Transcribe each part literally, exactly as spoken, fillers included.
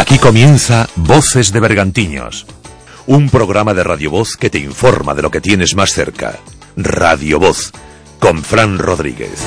Aquí comienza Voces de Bergantiños, un programa de Radio Voz que te informa de lo que tienes más cerca. Radio Voz, con Fran Rodríguez.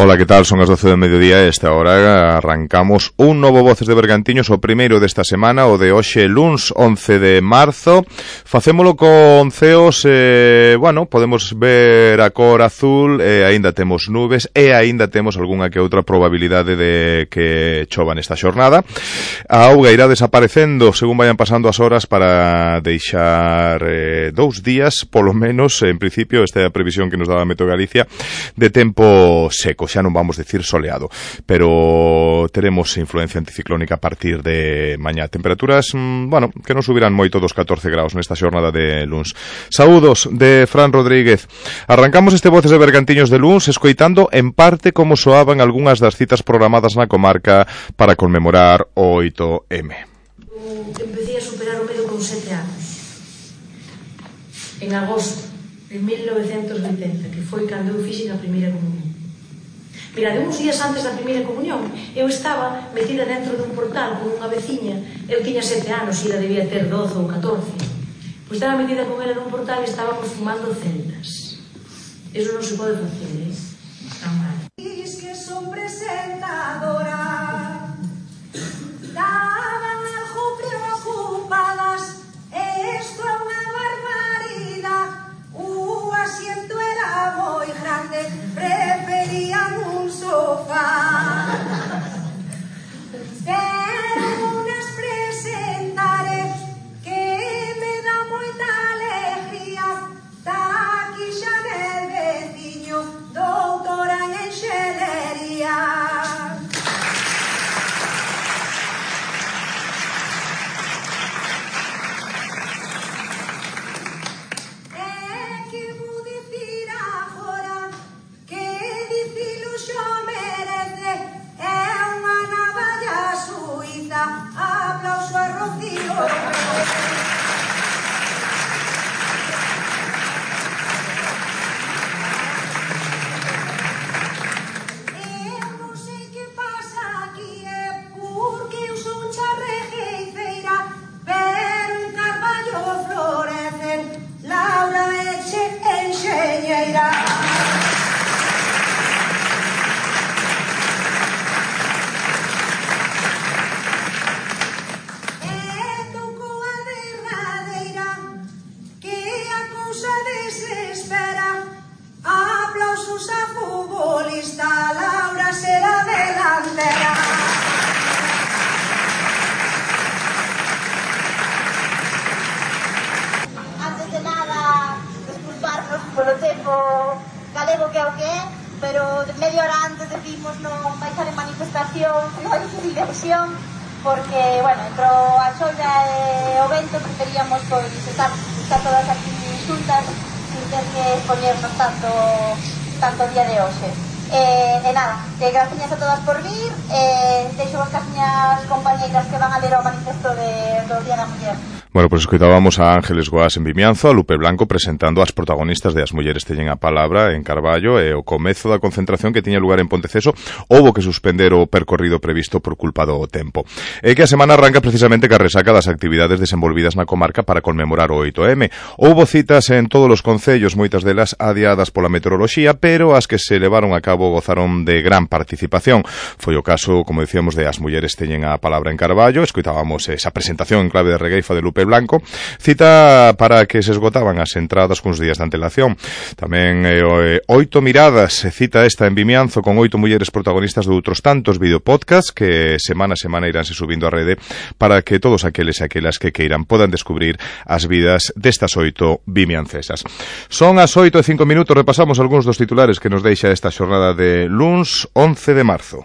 Ola, que tal? Son as doce do mediodía e esta hora arrancamos un novo Voces de Bergantiños, o primeiro desta semana, o de hoxe luns once de marzo. Facémolo con ceos, eh, bueno, podemos ver a cor azul, e aínda temos nubes e aínda temos algunha que outra probabilidade de que chova nesta xornada. A auga irá desaparecendo según vayan pasando as horas para deixar eh, dous días, polo menos, en principio, esta é a previsión que nos dá a Meteo Galicia, de tempo seco. Xa non vamos decir soleado, pero teremos influencia anticiclónica a partir de mañá. Temperaturas, bueno, que non subirán moito dos catorce graus nesta xornada de luns. Saúdos de Fran Rodríguez. Arrancamos este Voces de Bergantiños de luns escoitando en parte como soaban algunhas das citas programadas na comarca para conmemorar o oito eme. Empecé a superar o medo con sete anos. En agosto de mil novecentos oitenta, que foi cando eu fixen a primeira comunión. Mira, de uns días antes da primeira comunión, eu estaba metida dentro dun portal con unha veciña. Eu tiña sete anos, e ela debía ter doce ou catorce. Pois estaba metida con ela nun portal e estábamos fumando celdas. Eso non se pode facer, eh? Tan mal. Diz que son presentadora, daban algo preocupadas, esto é unha barbaridade, o asiento era moi grande, preferían un sofá. Pero unas presentaré que me da moita alegría, da aquí xa del veciño, doutora en enxelería. Aplauso a Rocío. Eu non sei que pasa aquí, é porque eu son charrejeifeira, pero en Carballo florecen Laura Eche enxeñeira. Laura será delantera. Antes de nada, disculparnos polo tempo galego que é o que é, pero media hora antes decimos non vai estar en manifestación, non hai diversión, porque, bueno, entre a xolla e o vento preferíamos pois estar, estar todas aquí xuntas sin ter que expoñernos tanto tanto o día de hoxe. Eh, e nada, eh, gracias a todas por vir, eh, deixo as casiñas compañeiras que van a ler o manifesto de, do Día da Muller. Bueno, pues escoitábamos a Ángeles Goas en Vimianzo, a Lupe Blanco presentando as protagonistas de As Mulleres Teñen a Palabra en Carballo, e o comezo da concentración que tiña lugar en Ponteceso houbo que suspender o percorrido previsto por culpa do tempo. E que a semana arranca precisamente ca resaca das actividades desenvolvidas na comarca para conmemorar o oito eme. Houbo citas en todos os concellos, moitas delas adiadas pola meteoroloxía, pero as que se levaron a cabo gozaron de gran participación. Foi o caso, como decíamos, de As Mulleres Teñen a Palabra en Carballo. Escoitábamos esa presentación en clave de regueifa de Lupe Blanco, cita para que se esgotaban as entradas cuns días de antelación. Tamén eh, oito miradas, cita esta en Vimianzo, con oito mulleres protagonistas de outros tantos videopodcasts que semana a semana iránse subindo a rede para que todos aqueles e aquelas que queiran podan descubrir as vidas destas oito vimiancesas. Son as oito e cinco minutos, repasamos algúns dos titulares que nos deixa esta xornada de luns once de marzo.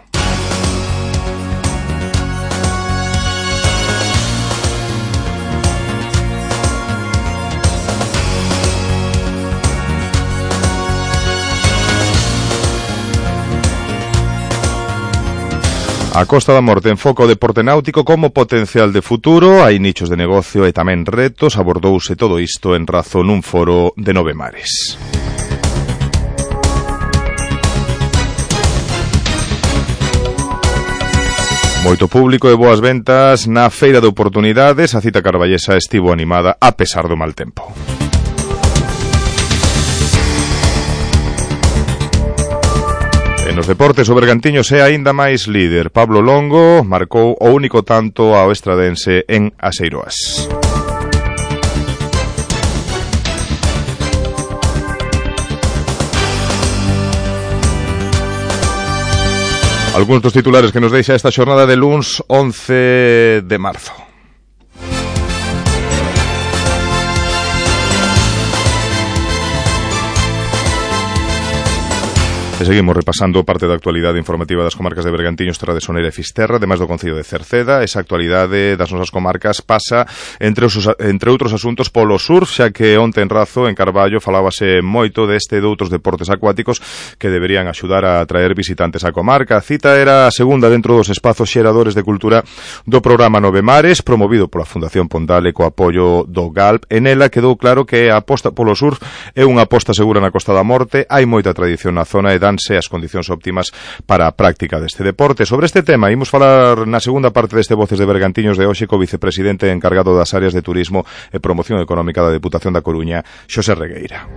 A Costa da Morte enfoca o deporte náutico como potencial de futuro, hai nichos de negocio e tamén retos, abordouse todo isto en razón nun foro de Nove Mares. Moito público e boas ventas na Feira de Oportunidades, a cita carballesa estivo animada a pesar do mal tempo. E nos deportes, o Bergantiños é aínda máis líder. Pablo Longo marcou o único tanto ao estradense en Aseiroas. Algúns dos titulares que nos deixa esta xornada de luns once de marzo. E seguimos repasando parte da actualidade informativa das comarcas de Bergantiños, Terra de Soneira e Fisterra, ademais do concello de Cerceda. Esa actualidade das nosas comarcas pasa, entre, os, entre outros asuntos, polo surf, xa que onte en Razo, en Carballo, falábase moito deste e de outros deportes acuáticos que deberían axudar a atraer visitantes á comarca. A cita era a segunda dentro dos espazos xeradores de cultura do programa Nove Mares, promovido pola Fundación Pondale co apoio do G A L P. En ela quedou claro que a aposta polo surf é unha aposta segura na Costa da Morte, hai moita tradición na zona e danse as condicións óptimas para a práctica deste deporte. Sobre este tema, imos falar na segunda parte deste Voces de Bergantiños de hoxe co vicepresidente encargado das áreas de turismo e promoción económica da Deputación da Coruña, Xosé Regueira.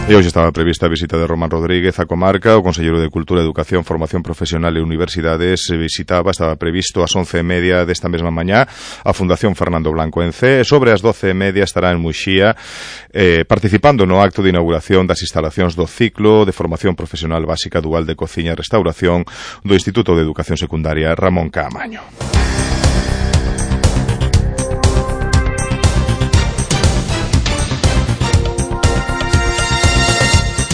E hoxe estaba prevista a visita de Román Rodríguez á comarca. O conselleiro de Cultura, Educación, Formación Profesional e Universidades visitaba, estaba previsto ás once e media desta mesma mañá a Fundación Fernando Blanco en Cee. Sobre as doce e media estará en Muxía eh, participando no acto de inauguración das instalacións do ciclo de Formación Profesional Básica Dual de Cociña e Restauración do Instituto de Educación Secundaria Ramón Caamaño.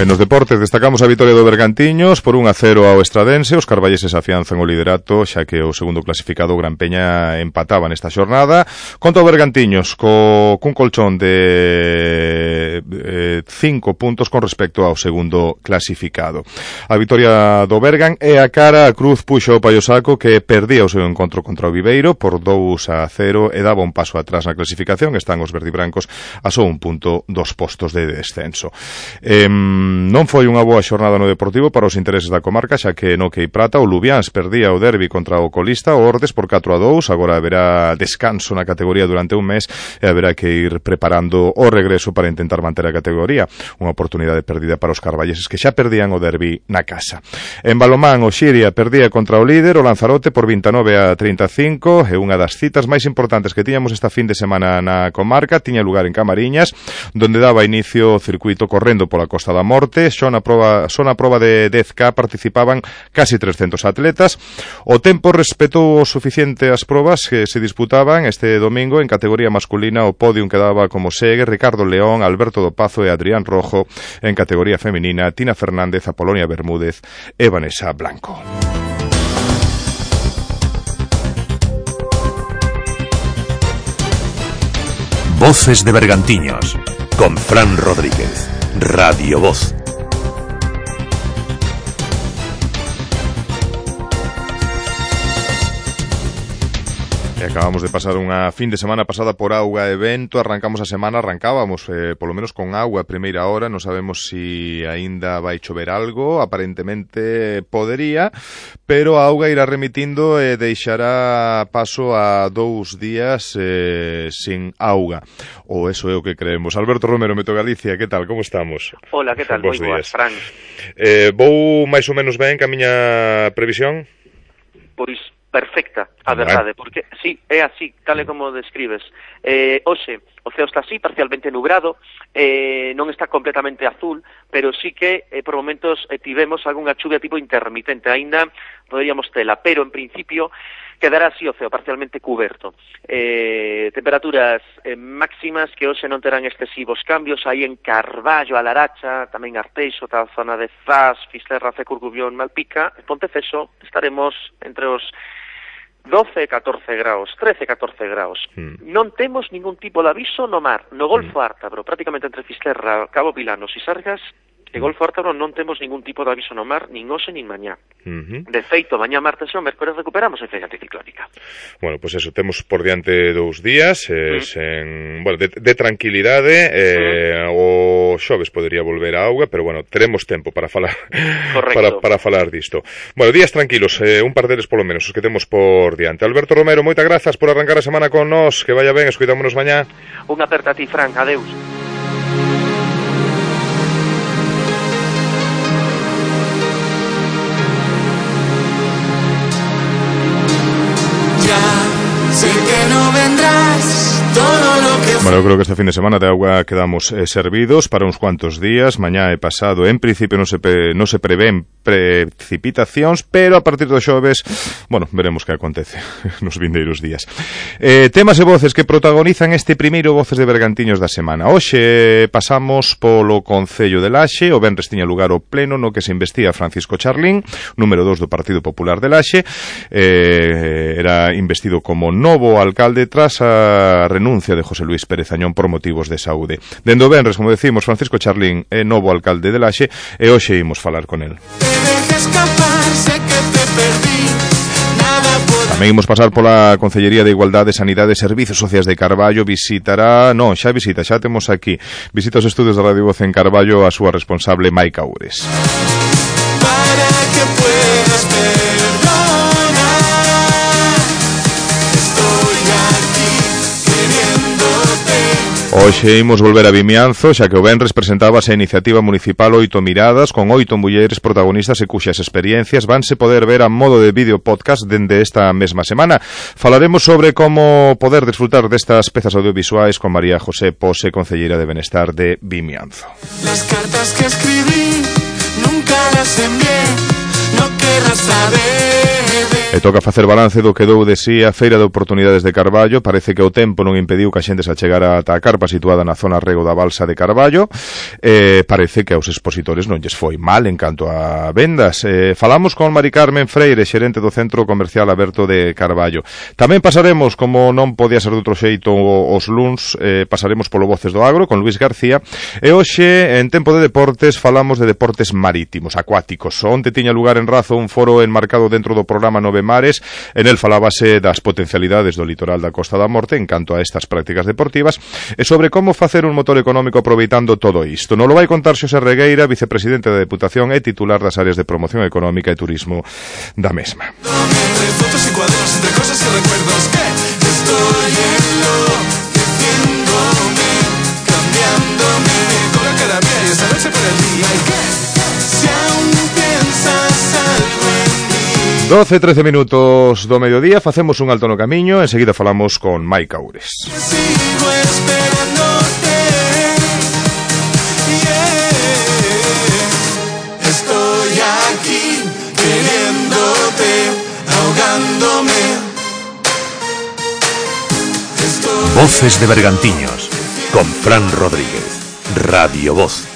En os deportes destacamos a vitoria do Bergantiños por un a cero ao Estradense. Os carballeses afianzan o liderato, xa que o segundo clasificado Gran Peña empataba nesta xornada. Contra o Bergantiños co cun colchón de eh, cinco puntos con respecto ao segundo clasificado. A vitoria do Bergan é a cara a Cruz puxo o Paiosaco, que perdía o seu encontro contra o Viveiro por dous a cero e daba un paso atrás na clasificación. Están os verdibrancos a só un punto dos postos de descenso. Eh, Non foi unha boa xornada no Deportivo para os intereses da comarca, xa que no Quei Prata o Lubiáns perdía o derbi contra o colista, o Ordes, por catro a dous. Agora haberá descanso na categoría durante un mes e haberá que ir preparando o regreso para intentar manter a categoría. Unha oportunidade perdida para os carballeses que xa perdían o derbi na casa. En balomán, o Xiria perdía contra o líder, o Lanzarote, por vinte e nove a trinta e cinco, e unha das citas máis importantes que tiñamos esta fin de semana na comarca tiña lugar en Camariñas, donde daba inicio o circuito correndo pola Costa da Morte. Só na proba, só na proba de dez K participaban casi trescentos atletas. O tempo respetou o suficiente as probas que se disputaban este domingo. En categoría masculina o podium quedaba como segue: Ricardo León, Alberto do Pazo e Adrián Rojo. En categoría feminina, Tina Fernández, Apolonia Bermúdez e Vanessa Blanco. Voces de Bergantiños con Fran Rodríguez. Radio Voz. E acabamos de pasar unha fin de semana pasada por auga e vento. Arrancamos a semana, arrancábamos eh, polo menos con auga a primeira hora. Non sabemos si aínda vai chover algo. Aparentemente podería, pero a auga irá remitindo e deixará paso a dous días eh, sin auga. Ou eso é o que creemos. Alberto Romero, Meto Galicia, que tal? Como estamos? Hola, que tal? Moi boas, Fran. Eh, vou máis ou menos ben ca miña previsión? Pois perfecta, a verdade, porque sí, é así, tal e como describes. Eh, hoxe, o ceo está así, parcialmente nubrado, eh, non está completamente azul, pero sí que eh, por momentos eh, tivemos algunha chuvia tipo intermitente, aínda poderíamos tela, pero en principio quedará así o ceo parcialmente cuberto. Eh, temperaturas eh, máximas que hoxe non terán excesivos cambios, aí en Carballo, a Laracha, tamén Arteixo, toda a zona de Zas, Fisterra, Cecurgubión, Malpica, e Ponteceso, estaremos entre os doce, catorce graus, trece, catorce graus. Mm. Non temos ningún tipo de aviso no mar. No Golfo mm. Ártabro, prácticamente entre Fisterra, Cabo Pilanos e Sargas, e Golfo Ártabro non temos ningún tipo de aviso no mar, nin hoxe nin mañá. Uh-huh. De feito, mañá, martes e o mércores recuperamos a feira anticiclónica. Bueno, pois pues eso, temos por diante dous días eh, mm. sen, bueno, de, de tranquilidade, eh, mm. o xoves podería volver a auga, pero bueno, teremos tempo para falar para, para falar disto. Bueno, días tranquilos, eh, un par deles polo menos, os que temos por diante. Alberto Romero, moitas grazas por arrancar a semana con nós, que vaya ben, escoitámonos mañá. Unha aperta a ti, Fran, adeus. Sé que no vendrás, todo lo que... Bueno, eu creo que este fin de semana de agua quedamos eh, servidos para uns cuantos días. Mañá e pasado, en principio, non se, pre, non se prevén precipitacións, pero a partir do xoves, bueno, veremos que acontece nos vindeiros días. Eh, temas e voces que protagonizan este primeiro Voces de Bergantiños da semana. Hoxe pasamos polo Concello de Laxe. O venres tiña lugar o pleno no que se investiga Francisco Charlín, número dos do Partido Popular de Laxe. Eh, era investido como novo alcalde tras a renuncia de José Luis Pérez Añón por motivos de saúde. Dendo venres, como decimos, Francisco Charlín é novo alcalde de Laxe e hoxe imos falar con el. Tamén imos pasar pola Concellería de Igualdade, Sanidade e Servizos Sociais de Carballo. Visitará, non, xa visita, xa temos aquí, visita os estudios de Radio Voz en Carballo a súa responsable Maica Ures. Para que puedas perdonar, estoy aquí queriéndote. Hoxe imos volver a Vimianzo, xa que o venres presentábase a iniciativa municipal Oito Miradas, con oito mulleres protagonistas e cuxas experiencias vanse poder ver a modo de vídeo podcast dende esta mesma semana. Falaremos sobre como poder disfrutar destas pezas audiovisuais con María José Pose, concelleira de Benestar de Vimianzo. Las cartas que escribí nunca las envié, no querrás saber. E toca facer balance do que dou de si a Feira de Oportunidades de Carballo. Parece que o tempo non impediu que a xente se achegara ata a carpa situada na zona rego da balsa de Carballo. E parece que aos expositores non lles foi mal en canto a vendas. E falamos con Mari Carmen Freire, xerente do Centro Comercial Aberto de Carballo. Tamén pasaremos, como non podía ser de outro xeito, os luns, eh, pasaremos polo Voces do Agro con Luis García. E hoxe, en tempo de deportes, falamos de deportes marítimos, acuáticos. Onte tiña lugar en Razo un foro enmarcado dentro do programa Nove Mares. En el falábase das potencialidades do litoral da Costa da Morte en canto a estas prácticas deportivas e sobre como facer un motor económico aproveitando todo isto. Non lo vai contar Xosé Regueira, vicepresidente da Deputación e titular das áreas de promoción económica e turismo da mesma. Fotos y cuadernos entre cosas y recuerdos que estoy en lo que tengo-me, cambiándome con la cara mía y esta noche por el día y que si aún piensas algo en mí. doce, trece minutos do mediodía, facemos un alto no camiño, enseguida falamos con Maica Ures. Sigo esperándote, yeah. Estoy aquí queriéndote, ahogándome. Estoy... Voces de Bergantiños, con Fran Rodríguez, Radio Voz.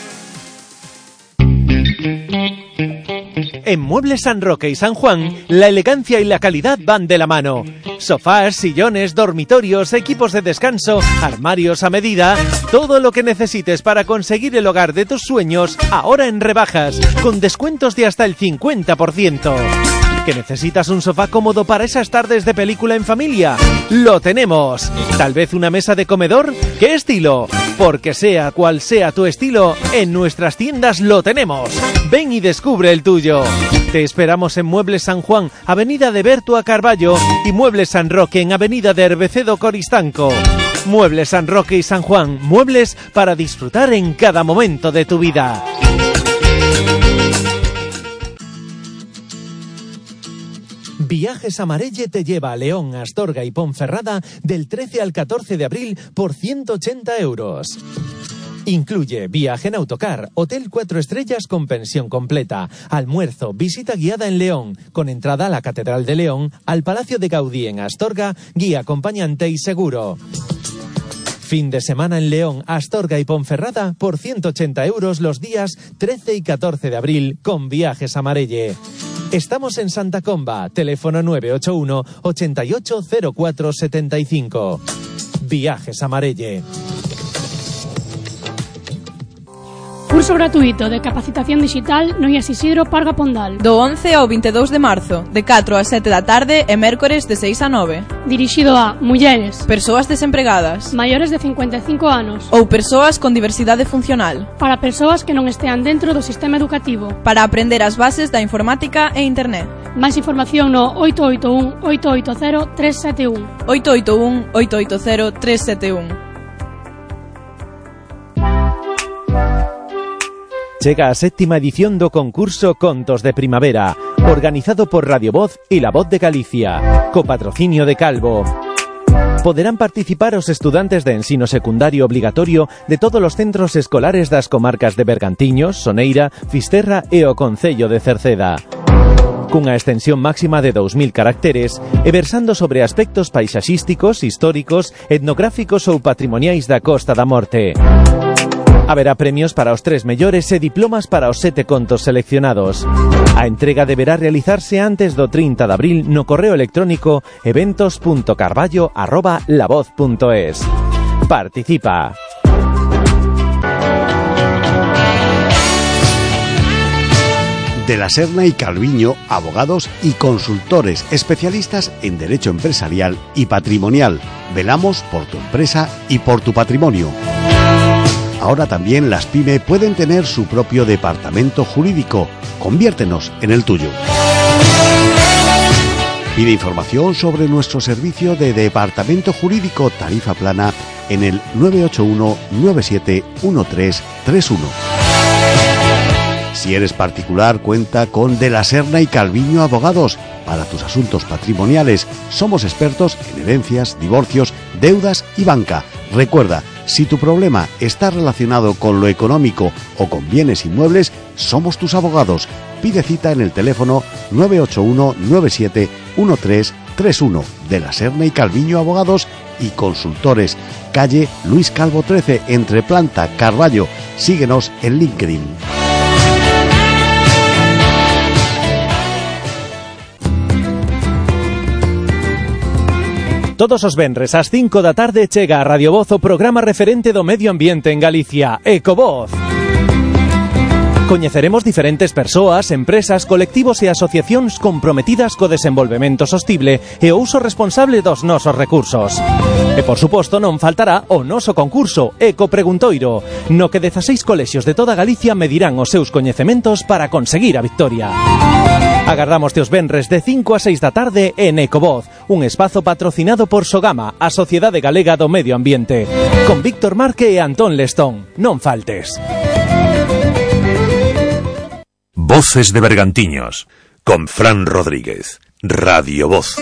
En Muebles San Roque y San Juan, la elegancia y la calidad van de la mano. Sofás, sillones, dormitorios, equipos de descanso, armarios a medida, todo lo que necesites para conseguir el hogar de tus sueños, ahora en rebajas, con descuentos de hasta el cincuenta por ciento. ¿Que necesitas un sofá cómodo para esas tardes de película en familia? ¡Lo tenemos! ¿Tal vez una mesa de comedor? ¿Qué estilo? Porque sea cual sea tu estilo, en nuestras tiendas lo tenemos. Ven y descubre el tuyo. Te esperamos en Muebles San Juan, Avenida de Berto a Carballo, y Muebles San Roque en Avenida de Herbecedo Coristanco. Muebles San Roque y San Juan, muebles para disfrutar en cada momento de tu vida. Viajes Amarelle te lleva a León, Astorga y Ponferrada del trece al catorce de abril por ciento ochenta euros. Incluye viaje en autocar, hotel cuatro estrellas con pensión completa, almuerzo, visita guiada en León, con entrada a la Catedral de León, al Palacio de Gaudí en Astorga, guía acompañante y seguro. Fin de semana en León, Astorga y Ponferrada por ciento ochenta euros los días trece y catorce de abril con Viajes Amarelle. Estamos en Santa Comba, teléfono nueve ocho uno, ochenta y ocho, cero cuatro setenta y cinco. Viajes Amarelle. Curso gratuito de capacitación digital no I A S Isidro Parga Pondal. Do once ao veintidós de marzo, de catro a sete da tarde e mércores de seis a nove. Dirixido a mulleres, persoas desempregadas, maiores de cincuenta e cinco anos ou persoas con diversidade funcional. Para persoas que non estean dentro do sistema educativo. Para aprender as bases da informática e internet. Máis información no oito oito un, oito oito cero, tres sete un. oito oito un, oito oito cero, tres sete un. Chega a séptima edición do concurso Contos de Primavera, organizado por Radio Voz e La Voz de Galicia, co patrocinio de Calvo. Poderán participar os estudantes de ensino secundario obligatorio de todos os centros escolares das comarcas de Bergantiños, Soneira, Fisterra e o Concello de Cerceda. Cunha extensión máxima de dous mil caracteres e versando sobre aspectos paisaxísticos, históricos, etnográficos ou patrimoniais da Costa da Morte. Haberá premios para os tres mellores e diplomas para os sete contos seleccionados. A entrega deberá realizarse antes do trinta de abril no correo electrónico eventos punto carballo arroba lavoz punto es. Participa. De la Serna y Calviño, abogados y consultores especialistas en derecho empresarial y patrimonial. Velamos por tu empresa y por tu patrimonio. Ahora también las PYME pueden tener su propio departamento jurídico. Conviértenos en el tuyo. Pide información sobre nuestro servicio de departamento jurídico tarifa plana en el nueve ocho uno, nueve siete uno tres tres uno. Si eres particular, cuenta con De la Serna y Calviño Abogados. Para tus asuntos patrimoniales, somos expertos en herencias, divorcios, deudas y banca. Recuerda, si tu problema está relacionado con lo económico o con bienes inmuebles, somos tus abogados. Pide cita en el teléfono nueve ocho uno, nueve siete uno tres tres uno. De la Serna y Calviño Abogados y Consultores. Calle Luis Calvo trece, entre Planta, Carballo. Síguenos en LinkedIn. Todos os venres ás cinco da tarde chega a Radio Voz o programa referente do medio ambiente en Galicia, Ecovoz. Coñeceremos diferentes persoas, empresas, colectivos e asociacións comprometidas co desenvolvemento sostible e o uso responsable dos nosos recursos. E, por suposto, non faltará o noso concurso Eco Preguntoiro, no que dezaseis colexios de toda Galicia medirán os seus coñecementos para conseguir a victoria. Agardamos teos venres de cinco a seis da tarde en Ecovoz, un espazo patrocinado por Sogama, a Sociedade Galega do Medio Ambiente, con Víctor Marque e Antón Lestón. Non faltes. Voces de Bergantiños, con Fran Rodríguez, Radio Voz.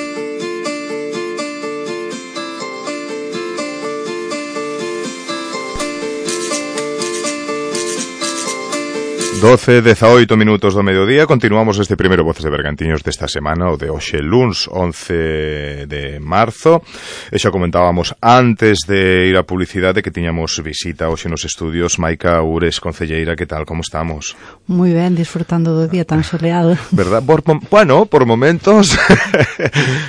doce, dezaoito minutos do mediodía. Continuamos este primeiro Voces de Bergantiños desta semana, o de hoxe luns once de marzo. E xa comentábamos antes de ir á publicidade que tiñamos visita hoxe nos estudios. Maica Ures, concelleira, que tal, como estamos? Moi ben, disfrutando do día tan soleado. Verdad? Por, bueno, por momentos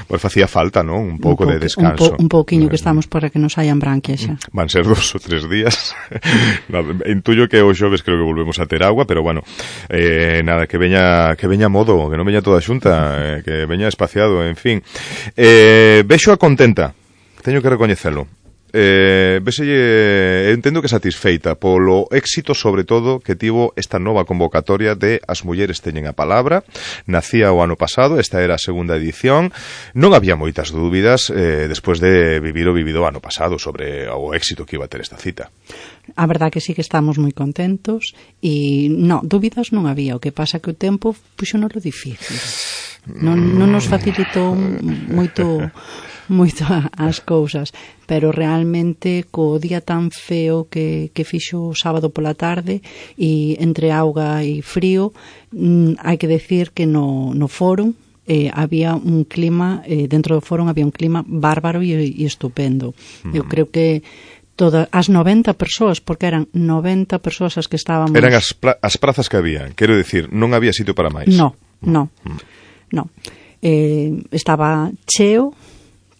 pues facía falta, non? Un pouco de descanso. Un, po, un pouquiño que estamos para que nos hayan branquias xa. Van ser dos ou tres días. Intuyo que o xoves creo que volvemos a ter agua, pero bueno, eh, nada, que veña que veña modo, que non veña toda xunta, eh, que veña espaciado, en fin. Eh, vexo a contenta, teño que recoñecelo. Eh, veselle, entendo que satisfeita polo éxito, sobre todo, que tivo esta nova convocatoria de As Mulleres Teñen a Palabra. Nacía o ano pasado, esta era a segunda edición. Non había moitas dúbidas eh, despois de vivir o vivido o ano pasado sobre o éxito que iba a ter esta cita. A verdad que sí que estamos moi contentos e non, dúbidas non había, o que pasa que o tempo puxo-nos lo difícil. Non, non nos facilitou moito moito as cousas, pero realmente co día tan feo que, que fixo o sábado pola tarde e entre auga e frío, mm, hai que decir que no, no fórum eh, había un clima, eh, dentro do fórum había un clima bárbaro e, e estupendo. Mm. Eu creo que todas as noventa persoas, porque eran noventa persoas as que estábamos... Eran as, pra, as prazas que había, quero dicir, non había sitio para máis. No. No, no. Eh, estaba cheo,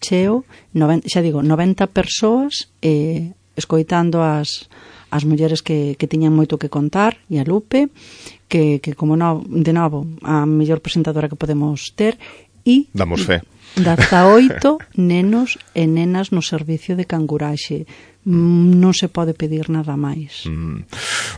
cheo, noventa, xa digo, noventa persoas eh, escoitando as, as mulleres que, que tiñan moito que contar, e a Lupe, que, que como no, de novo, a mellor presentadora que podemos ter, e... Damos fe. dezaoito nenos e nenas no servicio de canguraxe. Non se pode pedir nada máis. Mm.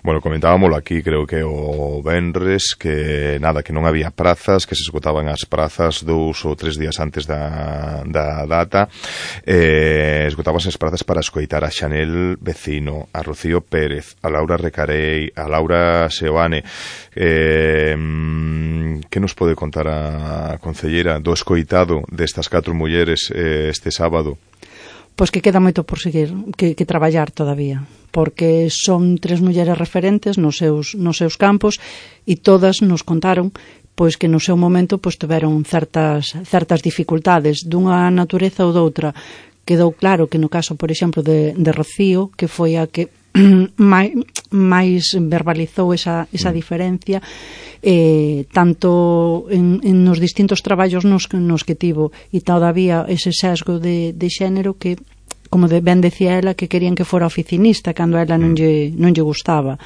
Bueno, comentábamoslo aquí, creo que o venres, que nada, que non había prazas, que se esgotaban as prazas dous ou tres días antes da, da data, eh, esgotábanse as prazas para escoitar a Xanel Vecino, a Rocío Pérez, a Laura Recarei, a Laura Seoane. Eh, que nos pode contar a concelleira do escoitado destas catro mulleres eh, este sábado? Pois que queda moito por seguir, que, que traballar todavía, porque son tres mulleres referentes nos seus, nos seus campos, e todas nos contaron pois que no seu momento pois tiveron certas, certas dificultades dunha natureza ou doutra. Quedou claro que no caso, por exemplo, de, de Rocío, que foi a que máis, máis verbalizou esa, esa diferencia, eh, tanto en, en nos distintos traballos nos, nos que tivo, e todavía ese sesgo de, de xénero que, como de, ben decía ela, que querían que fora oficinista cando ela non lle, non lle gustaba.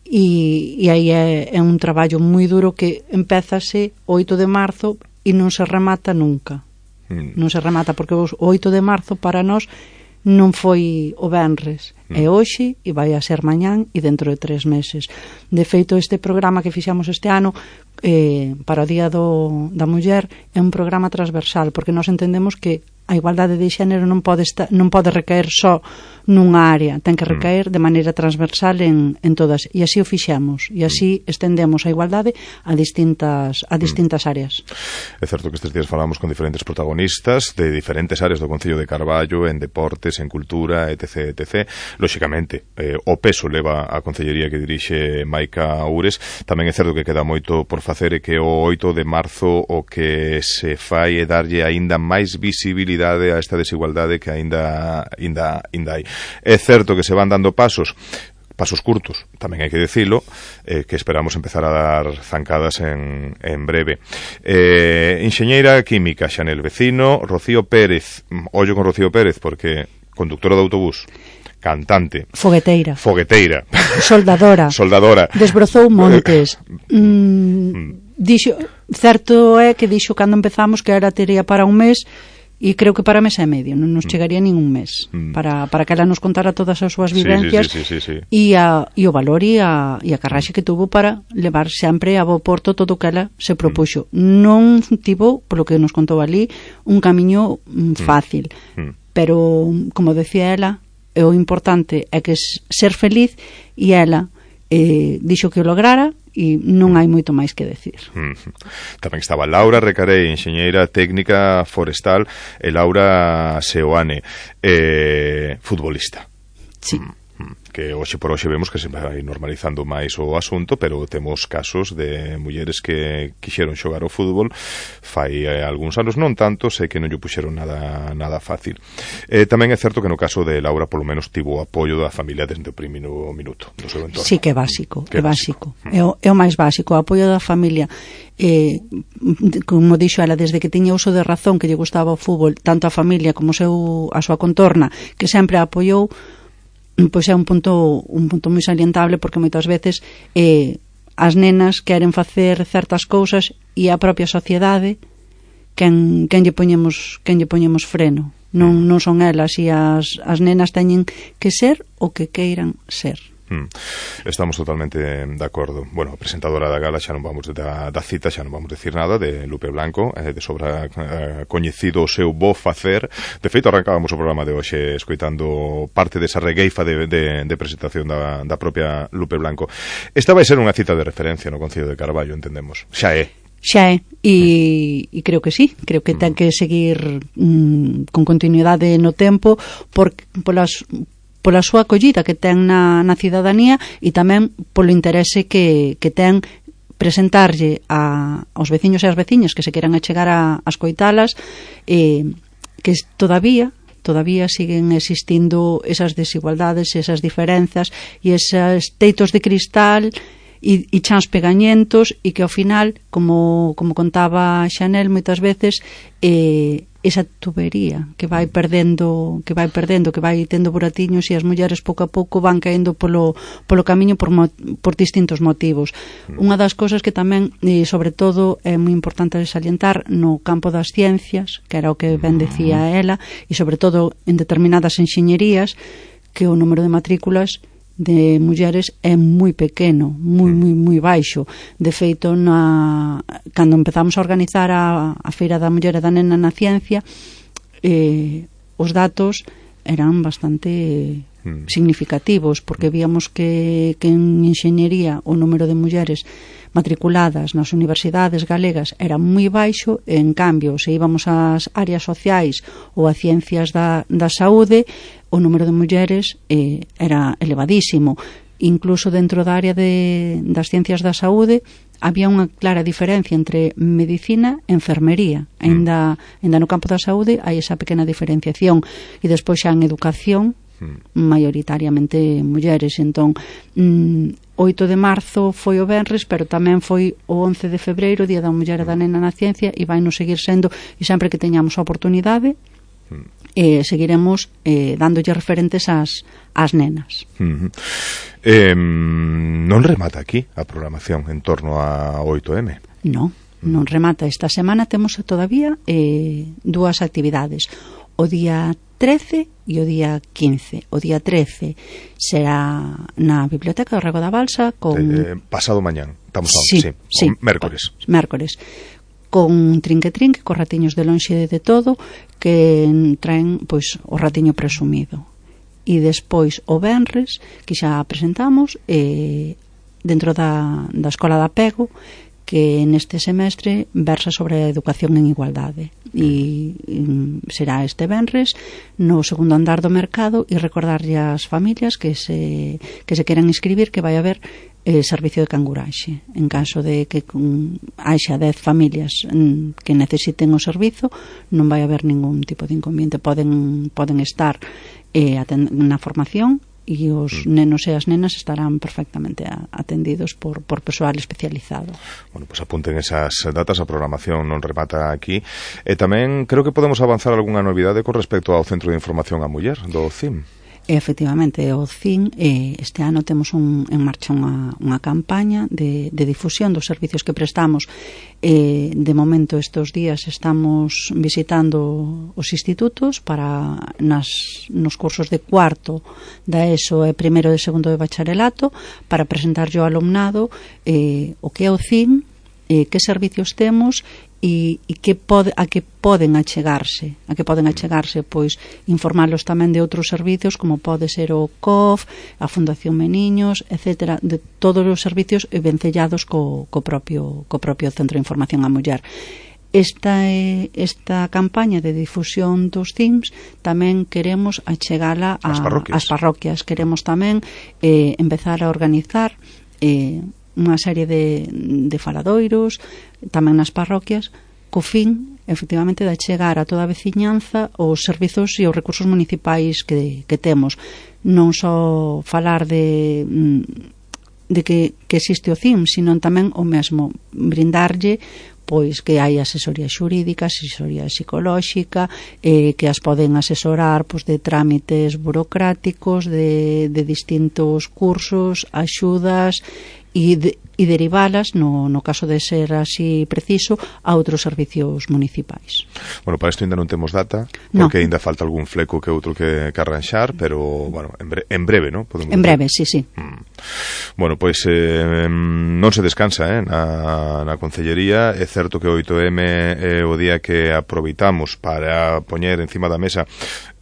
E, e aí é, é un traballo moi duro que empézase o oito de marzo e non se remata nunca. Mm. Non se remata, porque o oito de marzo para nós non foi o venres, mm. é hoxe e vai a ser mañán e dentro de tres meses. De feito, este programa que fixamos este ano eh, para o Día do, da Muller é un programa transversal, porque nós entendemos que a igualdade de xénero non pode, esta, non pode recaer só nunha área, ten que recaer de maneira transversal en, en todas, e así o fixemos, e así estendemos a igualdade a distintas, a distintas áreas. É certo que estes días falamos con diferentes protagonistas de diferentes áreas do Concello de Carballo, en deportes, en cultura, etc, etcétera. Lóxicamente, eh, o peso leva a concellería que dirixe Maica Ures. Tamén é certo que queda moito por facer, e que o oito de marzo o que se fai é darlle aínda máis visibilidade a esta desigualdade que aínda aínda aínda hai. É certo que se van dando pasos, pasos curtos, tamén hai que dicilo, eh, que esperamos empezar a dar zancadas en, en breve. Eh, enxeñeira química, Xanel Vecino, Rocío Pérez, ollo con Rocío Pérez, porque conductora de autobús, cantante, fogueteira, fogueteira, soldadora, soldadora, desbrozou montes. mm, dixo, certo é que dixo cando empezamos que era tería para un mes, e creo que para mes e medio, non nos chegaría nin un mes mm. para, para que ela nos contara todas as súas vivencias, sí, sí, sí, sí, sí. E, a, e o valor e a, e a carraxe que tuvo para levar sempre a bo porto todo o que ela se propuxo. Mm. Non tivo, polo que nos contou ali, un camiño mm, fácil, mm. pero, como decía ela, o importante é que ser feliz, e ela eh, dixo que o lograra, e non hai moito máis que decir. Mm. Tamén estaba Laura Recarei, enxeñeira técnica forestal, e Laura Seoane, eh, futbolista. Sí. Mm. Que hoxe por hoxe vemos que se vai normalizando máis o asunto, pero temos casos de mulleres que quixeron xogar ao fútbol fai eh, algúns anos, non tanto, sei que non lle puxeron nada nada fácil. Eh, tamén é certo que no caso de Laura polo menos tivo o apoio da familia desde o primeiro minuto do seu entorno. Sí, que é básico, que é básico. básico. É, o, é o máis básico, o apoio da familia. Eh, como dixo ela, desde que tiña uso de razón que lle gustaba o fútbol, tanto a familia como o seu, a súa contorna, que sempre a apoiou, pois é un punto un punto moi salientable, porque moitas veces eh, as nenas queren facer certas cousas e a propia sociedade quen, quen lle poñemos quen lle poñemos freno, non, non son elas, e as, as nenas teñen que ser o que queiran ser. Mm. Estamos totalmente de acordo. Bueno, a presentadora da gala xa non vamos da, da cita, xa non vamos decir nada, de Lupe Blanco, eh, de sobra eh, coñecido o seu bo facer. De feito, arrancábamos o programa de hoxe escoitando parte desa regueifa de, de, de presentación da, da propia Lupe Blanco. Esta vai ser unha cita de referencia no Concello de Carballo, entendemos. Xa é. Xa é, e, e creo que sí, creo que ten que seguir mm, con continuidade no tempo, por, polas pola súa acollida que ten na, na cidadanía, e tamén polo interese que, que ten presentarlle a, aos veciños e as veciñas que se queran achegar a, a escoitalas, eh, que todavía todavía siguen existindo esas desigualdades, esas diferenzas e esos teitos de cristal e, e chans pegañentos e que ao final, como, como contaba Xanel moitas veces, eh, esa tubería que vai perdendo que vai perdendo, que vai tendo buratiños e as mulleres pouco a pouco van caendo polo, polo camiño por, mo, por distintos motivos. Unha das cousas que tamén, e sobre todo, é moi importante salientar no campo das ciencias, que era o que ben decía ela, e sobre todo en determinadas enxeñerías, que o número de matrículas de mulleres é moi pequeno, moi, moi, moi baixo. De feito, na, cando empezamos a organizar a, a Feira da Muller e da Nena na Ciencia, eh, os datos eran bastante mm. significativos, porque víamos que, que en enxeñería o número de mulleres matriculadas nas universidades galegas era moi baixo, e en cambio, se íbamos ás áreas sociais ou a ciencias da, da saúde, o número de mulleres eh, era elevadísimo. Incluso dentro da área de, das ciencias da saúde había unha clara diferencia entre medicina e enfermería. Ainda, ainda no campo da saúde hai esa pequena diferenciación, e despois xa en educación maioritariamente mulleres. Entón, mm, oito de marzo foi o venres, pero tamén foi o once de febreiro, Día da Muller e da Nena na Ciencia, e vai nos seguir sendo, e sempre que teñamos a oportunidade eh, seguiremos eh, dándolle referentes ás, ás nenas. Uh-huh. eh, non remata aquí a programación en torno a oito eme? Non, non remata. Esta semana temos todavía eh, dúas actividades. O día trece e o día quince. O día trece será na Biblioteca do Rego da Balsa con... Eh, pasado mañán, estamos a sí, sí, sí, mércores. Mércores. Con trinque-trinque, con ratiños de lonxe de todo, que traen pois o ratiño presumido. E despois o venres, que xa presentamos, eh, dentro da, da Escola da Pego, que neste semestre versa sobre a educación en igualdade, e, e será este venres no segundo andar do mercado, e recordarlle ás familias que se, que se queran inscribir que vai haber eh, servicio de canguraxe en caso de que con, haxa dez familias mm, que necesiten o servizo, non vai haber ningún tipo de inconveniente. Poden, poden estar eh, na formación, e os nenos e as nenas estarán perfectamente atendidos por, por persoal especializado. Bueno, pues apunten esas datas, a programación non remata aquí. E tamén creo que podemos avanzar algunha novidade con respecto ao Centro de Información á Muller do C I M. Efectivamente, o C I N eh, este ano temos un, en marcha unha, unha campaña de, de difusión dos servicios que prestamos. Eh, de momento, estes días estamos visitando os institutos para nas, nos cursos de cuarto da ESO e primeiro e segundo de bacharelato, para presentar ao alumnado eh, o que é o C I N, eh, que servicios temos e, e que pode, a que poden achegarse a que poden achegarse, pois informalos tamén de outros servicios como pode ser o C O F, a Fundación Meniños, etcétera, de todos os servicios vencellados co, co, propio, co propio Centro de Información á Muller. Esta, esta campaña de difusión dos C I M S tamén queremos achegala a, as parroquias. as parroquias. Queremos tamén eh, empezar a organizar eh, unha serie de, de faladoiros tamén nas parroquias, co fin, efectivamente, de chegar a toda a veciñanza os servizos e os recursos municipais que, que temos. Non só falar de, de que, que existe o C I M, sino tamén o mesmo brindarlle pois que hai asesoría xurídica, asesoría psicolóxica, eh, que as poden asesorar pois, de trámites burocráticos, de, de distintos cursos, axudas, e, de, e derivalas, no, no caso de ser así preciso, a outros servicios municipais. Bueno, para isto ainda non temos data, porque no. ainda falta algún fleco que outro que, que arranxar, pero, bueno, en, bre en breve, ¿no? Podemos en breve, decir. sí, sí. Mm. Bueno, pois pues, eh, non se descansa eh, na, na Concellería. É certo que o oito eme é o día que aproveitamos para poñer encima da mesa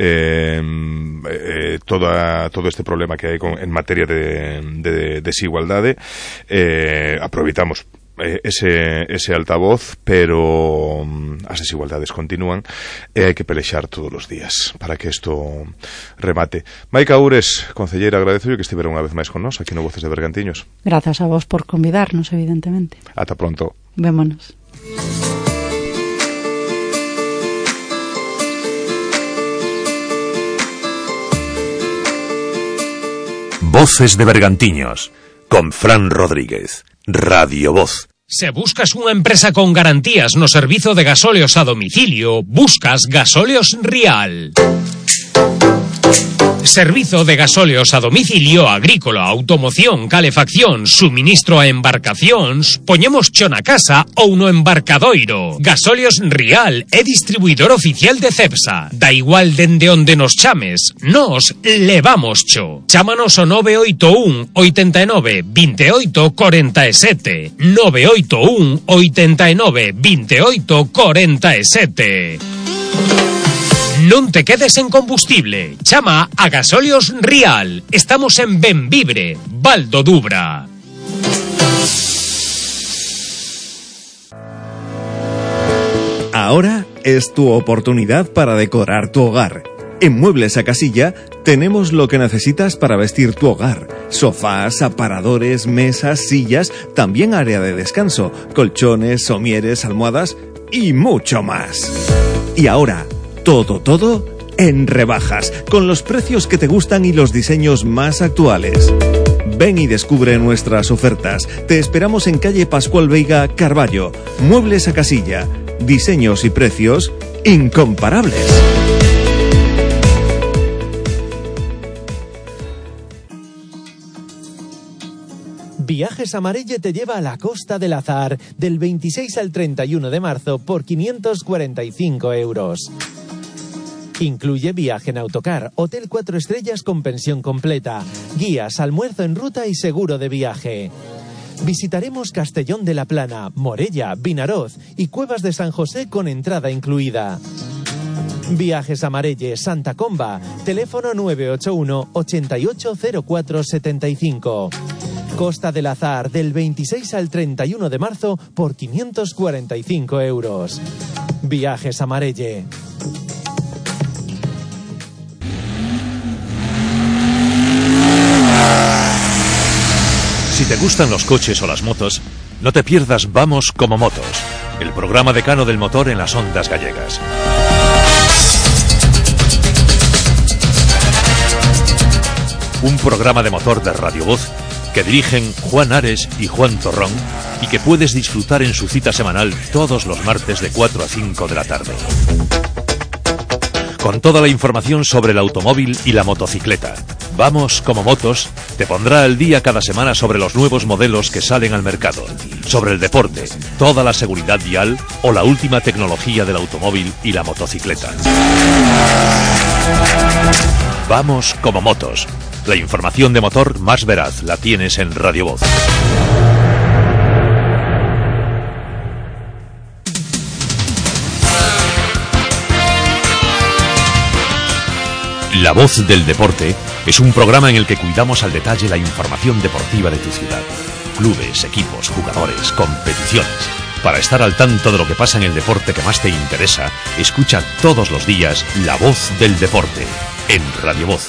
eh, eh, toda, todo este problema que hai con, en materia de, de desigualdade. Eh, aproveitamos eh, ese, ese altavoz, pero um, as desigualdades continúan e hai que pelexar todos os días para que isto remate. Maica Ures, concelleira, agradezo que estivera unha vez máis con nós aquí no Voces de Bergantiños. Grazas a vos por convidarnos, evidentemente. Ata pronto. Vémonos. Voces de Bergantiños, con Fran Rodríguez, Radio Voz. Se buscas unha empresa con garantías no servizo de gasóleos a domicilio, buscas Gasóleos Rial. Servizo de gasóleos a domicilio, agrícola, automoción, calefacción, suministro a embarcacións, poñemos cho na casa ou no embarcadoiro. Gasóleos Rial é distribuidor oficial de Cepsa. Da igual dende onde nos chames, nos levamos cho. Chámanos ao nove oito un, oitenta e nove, vinte e oito, corenta e sete. nove oito un, oitenta e nove, vinte e oito, corenta e sete. Non te quedes en combustible. Chama a Gasóleos Rial. Estamos en Benvibre, Val do Dubra. Ahora es tu oportunidad para decorar tu hogar. En Muebles a Casilla tenemos lo que necesitas para vestir tu hogar. Sofás, aparadores, mesas, sillas, también área de descanso, colchones, somieres, almohadas y mucho más. Y ahora, todo, todo en rebajas, con los precios que te gustan y los diseños más actuales. Ven y descubre nuestras ofertas. Te esperamos en calle Pascual Veiga, Carballo. Muebles a Casilla. Diseños y precios incomparables. Viajes Amarelle te lleva a la Costa del Azar del veintiséis al treinta y uno de marzo por quinientos cuarenta y cinco euros. Incluye viaje en autocar, hotel cuatro estrellas con pensión completa, guías, almuerzo en ruta y seguro de viaje. Visitaremos Castellón de la Plana, Morella, Vinaroz y Cuevas de San José con entrada incluida. Viajes Amarelle, Santa Comba, teléfono nueve ocho uno, ochenta y ocho, cero cuatro setenta y cinco. Costa del Azar del veintiséis al treinta y uno de marzo por quinientos cuarenta y cinco euros. Viajes Amarelle. Si te gustan los coches o las motos, no te pierdas Vamos como Motos, el programa decano del motor en las ondas gallegas. Un programa de motor de Radio Voz que dirigen Juan Ares y Juan Torrón y que puedes disfrutar en su cita semanal todos los martes de cuatro a cinco de la tarde. Con toda la información sobre el automóvil y la motocicleta. Vamos como Motos te pondrá al día cada semana sobre los nuevos modelos que salen al mercado, sobre el deporte, toda la seguridad vial o la última tecnología del automóvil y la motocicleta. Vamos como Motos. La información de motor más veraz la tienes en Radio Voz. La Voz del Deporte es un programa en el que cuidamos al detalle la información deportiva de tu ciudad. Clubes, equipos, jugadores, competiciones. Para estar al tanto de lo que pasa en el deporte que más te interesa, escucha todos los días La Voz del Deporte en Radio Voz.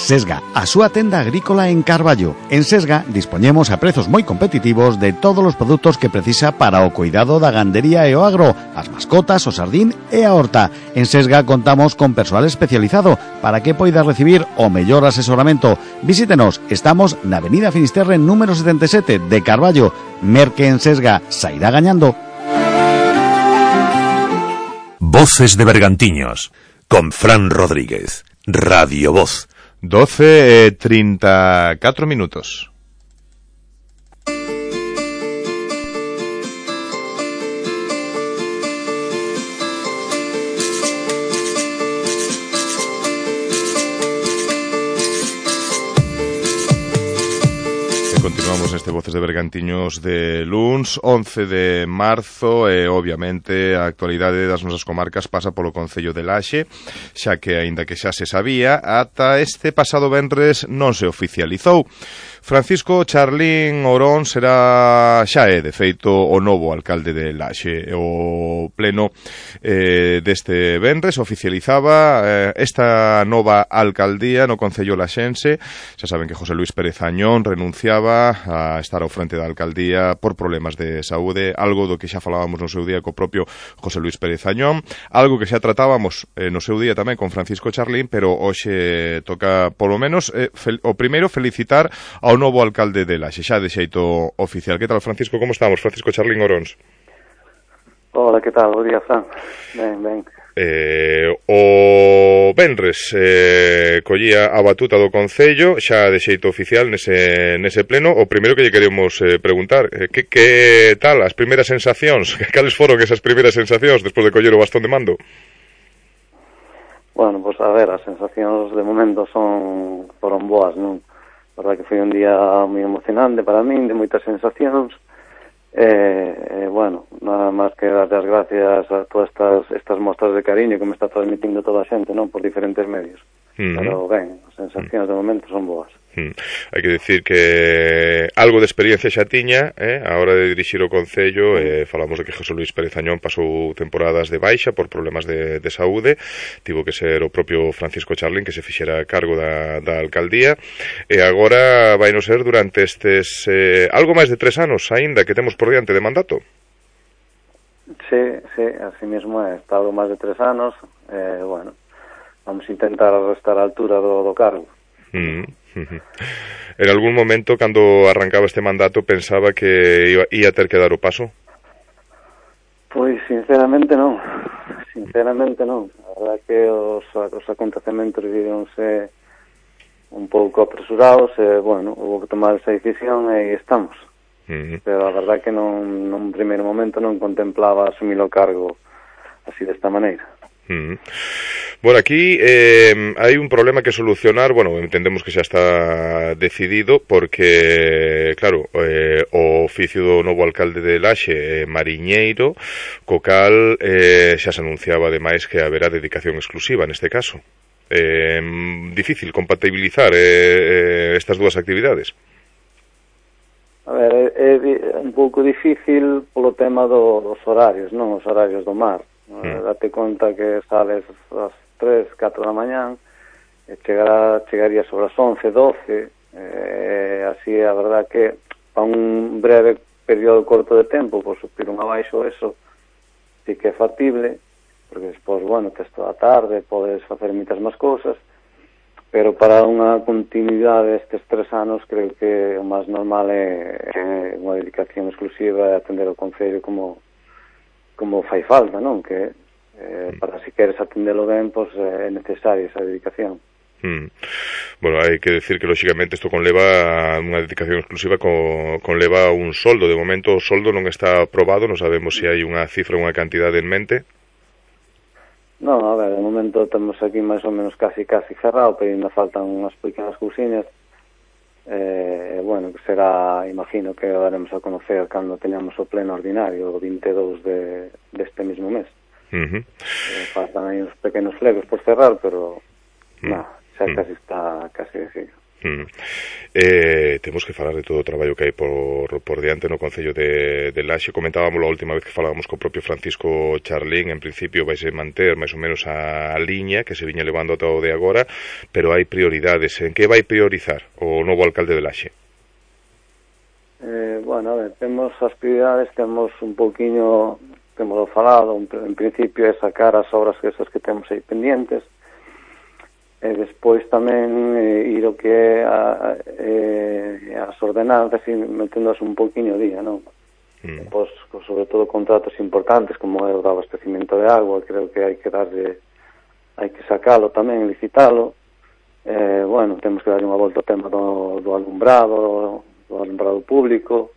Sesga, a súa tenda agrícola en Carballo. En Sesga dispoñemos a prezos moi competitivos de todos os produtos que precisa para o cuidado da gandería e o agro, as mascotas, o sardín e a horta. En Sesga contamos con persoal especializado para que poida recibir o mellor asesoramento. Visítenos, estamos na Avenida Finisterre número setenta e sete de Carballo. Merque en Sesga, sairá gañando. Voces de Bergantiños, con Fran Rodríguez, Radio Voz. doce e trinta e catro minutos. Continuamos neste Voces de Bergantiños de luns, once de marzo, e obviamente a actualidade das nosas comarcas pasa polo concello de Laxe, xa que, aínda que xa se sabía, ata este pasado venres non se oficializou. Francisco Charlín Orón será, xa é, de feito, o novo alcalde de Laxe. O pleno eh, deste venres oficializaba eh, esta nova alcaldía no concello laxense. Xa saben que José Luis Pérez Añón renunciaba a a estar ao frente da alcaldía por problemas de saúde, algo do que xa falábamos no seu día co propio José Luis Pérez Añón, algo que xa tratábamos eh, no seu día tamén con Francisco Charlín, pero hoxe toca, polo menos, eh, fel, o primeiro felicitar ao novo alcalde de Laxe, xa de xeito oficial. Que tal, Francisco? Como estamos? Francisco Charlín Oróns. Hola, que tal? Bo día, Fran. Ben, ben. Eh, o Benres eh, collía a batuta do Concello xa de xeito oficial nese, nese pleno. O primeiro que lle queremos eh, preguntar eh, que, que tal as primeiras sensacións? Cales foron esas primeiras sensacións despois de coller o bastón de mando? Bueno, pues a ver, as sensacións de momento son foron boas, non? A verdad que foi un día moi emocionante para min, de moitas sensacións. Eh, eh, bueno, nada máis que dar as gracias a todas estas, estas mostras de cariño que me está transmitindo toda a xente, non? Por diferentes medios. Uh-huh. Pero ben, as sensacións uh-huh. de momento son boas. Uh-huh. Hai que decir que algo de experiencia xa tiña, eh, a hora de dirixir o Concello. eh, falamos de que José Luis Pérez Añón pasou temporadas de baixa por problemas de, de saúde, tivo que ser o propio Francisco Charlín que se fixera cargo da, da alcaldía, e agora vai no ser durante estes eh, algo máis de tres anos aínda que temos por diante de mandato. Sí, sí, así mesmo é, estado máis de tres anos, eh, bueno, vamos a intentar restar a altura do, do cargo. Mm. En algún momento, cando arrancaba este mandato, pensaba que iba, ia ter que dar o paso? Pois, sinceramente, non. Sinceramente, non. A verdade que os, os acontecementos vivíronse un pouco apresurados e, bueno, houve que tomar esa decisión e estamos. Uh-huh. Pero a verdade que non, nun primeiro momento non contemplaba asumir o cargo así desta maneira. Uh-huh. Bueno, aquí eh, hai un problema que solucionar. Bueno, entendemos que xa está decidido porque, claro, eh, o oficio do novo alcalde de Laxe, eh, mariñeiro, co cal eh, xa se anunciaba ademais que haberá dedicación exclusiva neste caso. Eh, difícil compatibilizar eh, estas dúas actividades. A ver, é, é un pouco difícil polo tema do, dos horarios, non? Os horarios do mar. Mm. Date conta que sales ás tres, catro da mañán e chegará, chegaría sobre as once, doce, eh, así a verdad que para un breve período corto de tempo, por subir un abaixo, eso sí que é factible, porque despois, bueno, tes toda a tarde, podes facer moitas máis cousas, pero para unha continuidade destes tres anos creo que o máis normal é, é unha dedicación exclusiva e atender o Concello como como fai falta, non? Que eh, para si queres atendelo ben, pois é necesaria esa dedicación. Mm. Bueno, hai que decir que lógicamente isto conleva unha dedicación exclusiva, con, conleva un soldo. De momento o soldo non está aprobado, non sabemos se hai unha cifra, unha cantidade en mente. Non, a ver, de momento temos aquí máis ou menos casi casi cerrado, pero ainda faltan unhas pequenas cousiñas. Eh, bueno, que será, imagino que o daremos a conocer cando teñamos o pleno ordinario o vinte e dous de, deste mesmo mes. Uh-huh. eh, faltan aí uns pequenos flegos por cerrar, pero uh-huh. nah, xa casi está casi decidido. Mm. Eh, temos que falar de todo o traballo que hai por, por diante no Concello de, de Laxe. Comentábamos a última vez que falábamos co propio Francisco Charlín. En principio vai se manter máis ou menos a, a liña que se viña levando ata o de agora, pero hai prioridades. En que vai priorizar o novo alcalde de Laxe? Eh, bueno, a ver, temos as prioridades, temos un pouquiño, temos falado, en principio é sacar as obras que esas que temos aí pendientes. E despois tamén eh, ir o que é a, eh, as ordenanzas e meténdoas un poquinho día, non? Mm. Pois, sobre todo contratos importantes como é o do abastecimento de agua, creo que hai que darlle, hai que sacalo tamén, licitalo. Eh, bueno, temos que darlle unha volta ao tema do, do alumbrado, do alumbrado público,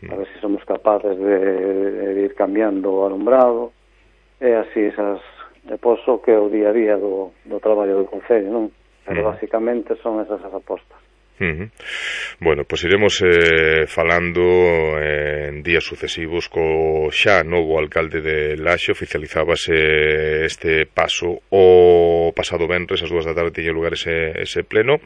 mm. a ver se somos capaces de, de ir cambiando o alumbrado, e así esas e poso que é o día a día do, do traballo do Concello, non? Pero uh-huh. basicamente son esas as apostas. Uh-huh. Bueno, pois pues iremos eh, falando eh, en días sucesivos co xa novo alcalde de Laxe. Oficializábase este paso o pasado venres, as dúas da tarde tiña lugar ese, ese pleno.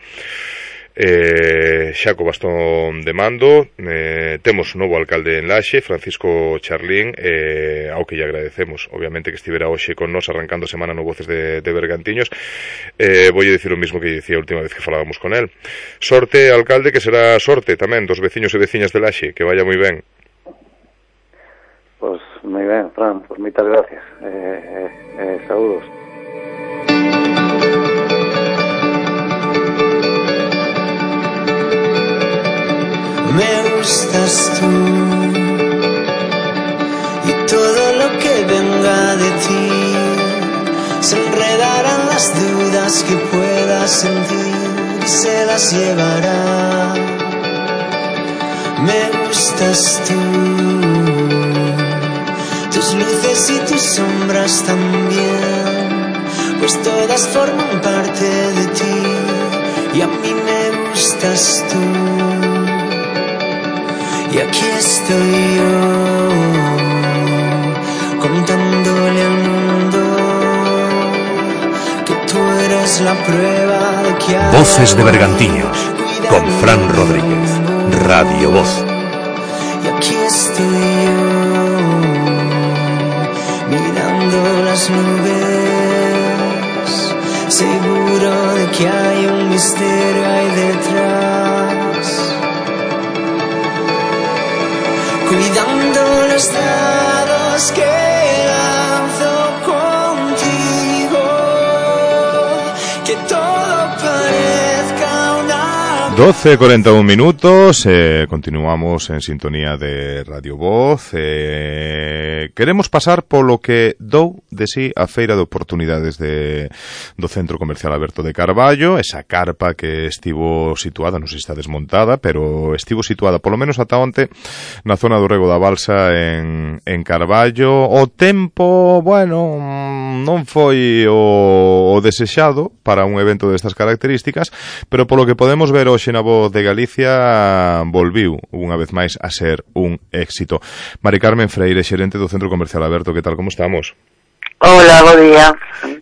eh, xa co bastón de mando. Eh, temos un novo alcalde en Laxe, Francisco Charlín, eh, ao que lle agradecemos obviamente que estivera hoxe con nos arrancando a semana no Voces de, de Bergantiños. eh, Voulle dicir o mismo que dicía a última vez que falábamos con el. Sorte, alcalde, que será sorte tamén dos veciños e veciñas de Laxe, que vaya moi ben. Pois moi ben, Fran, pois moitas gracias. eh, eh, eh, Saúdos. Me gustas tú y todo lo que venga de ti se enredarán las dudas que puedas sentir y se las llevará. Me gustas tú, tus luces y tus sombras también, pues todas forman parte de ti y a mí me gustas tú. Y aquí estoy yo, contándole al mundo que tú eres la prueba de que hay. Voces de Bergantiños, con Fran Rodríguez, Radio Voz. Y aquí estoy yo, mirando las nubes, seguro de que hay un misterio ahí detrás. Cuidando los dados que lanzo contigo, que todo parezca una... doce e cuarenta e un minutos, eh, continuamos en sintonía de Radio Voz. eh, Queremos pasar polo que dou de sí a Feira de Oportunidades de, do Centro Comercial Aberto de Carballo, esa carpa que estivo situada, non sei se está desmontada, pero estivo situada polo menos ata onte na zona do Rego da Balsa en, en Carballo. O tempo, bueno, non foi o, o desexado para un evento destas características, pero polo que podemos ver hoxe na Voz de Galicia volviu unha vez máis a ser un éxito. Mari Carmen Freire, xerente do Centro Comercial Aberto, que tal, como estamos? Hola, bo día.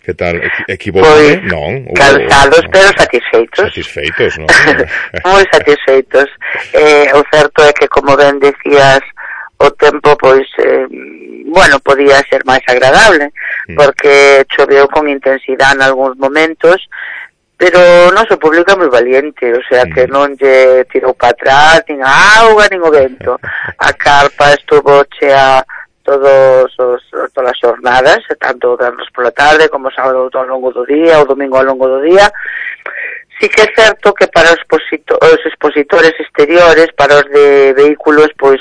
Que tal, equivocado? Pois, non? cansados, no. pero satisfeitos. Satisfeitos, non? Moi satisfeitos. Eh, o certo é que, como ben decías, o tempo, pois, eh, bueno, podía ser máis agradable, mm. porque choveu con intensidade en algúns momentos, pero o noso público é moi valiente, o sea, que non lle tirou para atrás, nin a auga, nin o vento. A carpa estuvo chea todos os, todas as xornadas, tanto vernos pola tarde como sábado ao longo do día, o domingo ao longo do día. Sí que é certo que para os, exposito os expositores exteriores, para os de vehículos, pois,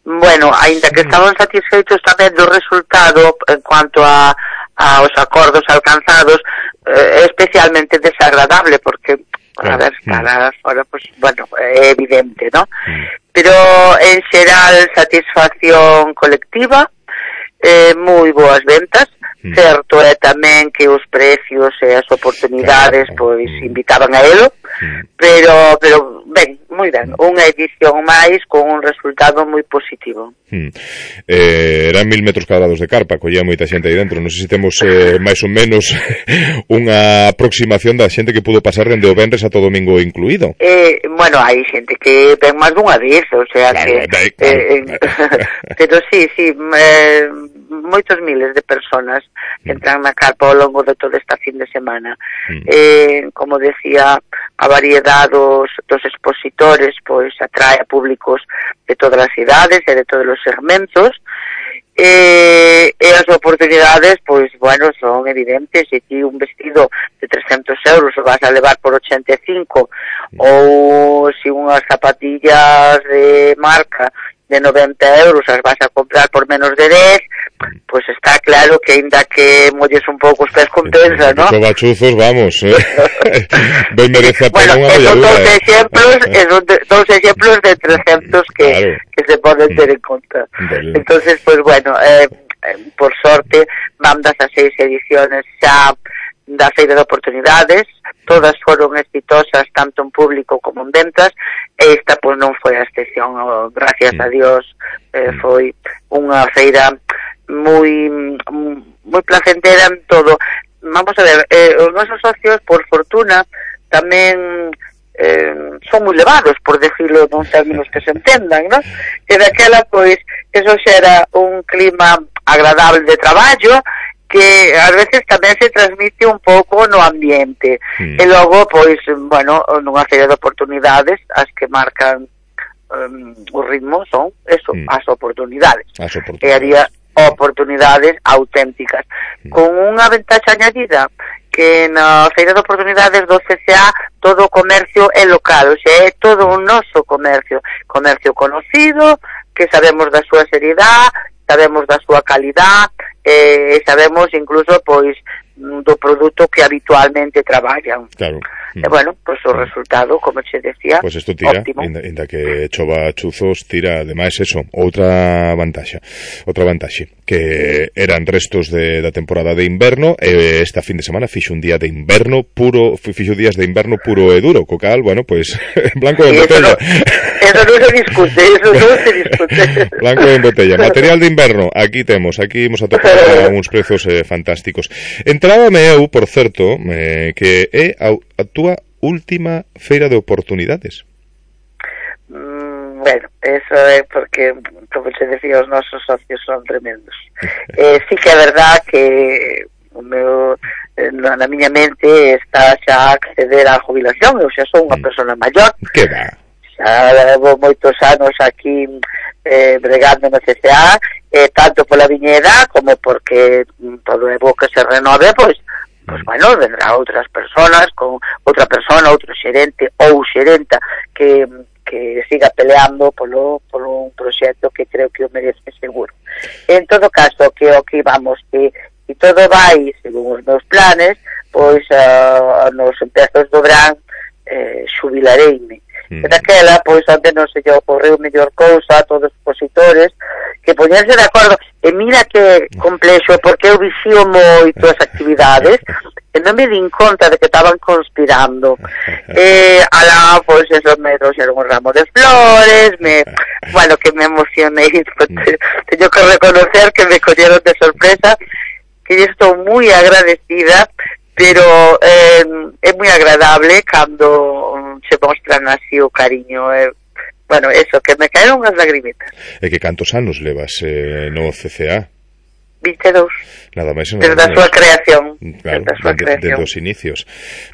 bueno, aínda que estaban satisfeitos tamén do resultado en cuanto a aos acordos alcanzados, eh, especialmente desagradable, porque a ver, estar fora, pues, bueno, é evidente, ¿no? Pero en xeral satisfacción colectiva, eh, moi boas ventas. Mm. Certo é tamén que os precios e as oportunidades, claro, pois invitaban a elo, mm. pero pero ben, moi ben, unha edición máis con un resultado moi positivo. Mm. Eh, eran mil metros cuadrados de carpa, collía moita xente aí dentro. Non sei se temos eh, máis ou menos unha aproximación da xente que pudo pasar dende o venres a todo domingo incluído. Eh, bueno, hai xente que ven máis dunha vez, o sea claro, que claro, eh, claro. Pero sí, sí, eh, moitos miles de personas que entran na carpa ao longo de toda esta fin de semana. Mm. Eh, como decía, a variedade dos, dos expositores pois atrae a públicos de todas as idades e de todos os segmentos, e, e as oportunidades pois, bueno, son evidentes. E ti un vestido de trescentos euros o vas a levar por ochenta e cinco, mm. ou se unhas zapatillas de marca de noventa euros as vas a comprar por menos de dez, pois pues está claro que ainda que molles un pouco os pés compensa, ¿no? Os bachuzos, vamos, eh. Ben merece a pena bueno, unha molladura. Bueno, dos exemplos, esos dos exemplos de trescentos que, claro, que se poden ter en conta. Vale. Entonces, pues bueno, eh, por sorte, mandas a seis ediciones xa da Feira de Oportunidades, todas foron exitosas tanto en público como en ventas, e esta pois non foi a excepción, gracias a Dios, eh, foi unha feira moi moi placentera en todo. Vamos a ver, eh, os nosos socios, por fortuna, tamén eh, son moi levados, por decirlo nun términos que se entendan, non? E daquela, pois, eso xera un clima agradable de traballo, que ás veces tamén se transmite un pouco no ambiente. Mm. E logo, pois, bueno, nunha feira de oportunidades, as que marcan um, o ritmo son, eso, mm. as oportunidades. As oportunidades. E había oportunidades auténticas, mm. con unha ventaxa añadida, que na feira de oportunidades do C C A todo o comercio é local, o sea, é todo un noso comercio, comercio conocido, que sabemos da súa seriedade, sabemos da súa calidad, e eh, sabemos incluso, pois, do produto que habitualmente traballan. Claro. E, bueno, pois o resultado, como che decía, pois isto tira, óptimo. Inda, inda que chova chuzos, tira, ademais, eso, outra vantaxa, outra vantaxe, que eran restos de, da temporada de inverno, e esta fin de semana fixo un día de inverno puro, fixo días de inverno puro e duro, co cal, bueno, pois, blanco en botella. Eso non se discute, eso non se discute. Blanco en botella. Material de inverno, aquí temos, aquí imos a tocar uns prezos eh, fantásticos. Entrábame eu, por certo, eh, que é a, a túa última feira de oportunidades. Mm, bueno, eso é porque, como se decía, os nosos socios son tremendos. eh, sí que é verdad que o meu, na, na miña mente está xa a acceder á jubilación, eu xa son unha mm. persona maior. Que va? Xa levo moitos anos aquí eh, bregando no C C A, eh, tanto pola viñeda como porque todo é bo que se renove, pois, pois bueno, vendrá outras personas, con outra persona, outro xerente ou xerenta que, que siga peleando polo, polo un proxecto que creo que o merece seguro. En todo caso, que o que vamos, que se todo vai según os meus planes, pois uh, nos empezos do verán eh, xubilareime. Mm. E daquela, pois, onde non se lle ocorreu mellor cousa a todos os expositores que poñerse de acordo. E mira que complexo, porque eu vixío moito as actividades e non me din conta de que estaban conspirando. E, alá, pois, eso, me trouxeron un ramo de flores, me, bueno, que me emocionei, pues, teño que reconocer que me collieron de sorpresa, que estou moi agradecida, pero eh, é moi agradable cando se mostran así o cariño, eh, bueno, eso, que me caeron as lagrimitas. E que cantos anos levas eh, no C C A? vinte e dous. Nada máis. Desde a súa creación. Claro, desde a súa desde, creación. desde os inicios.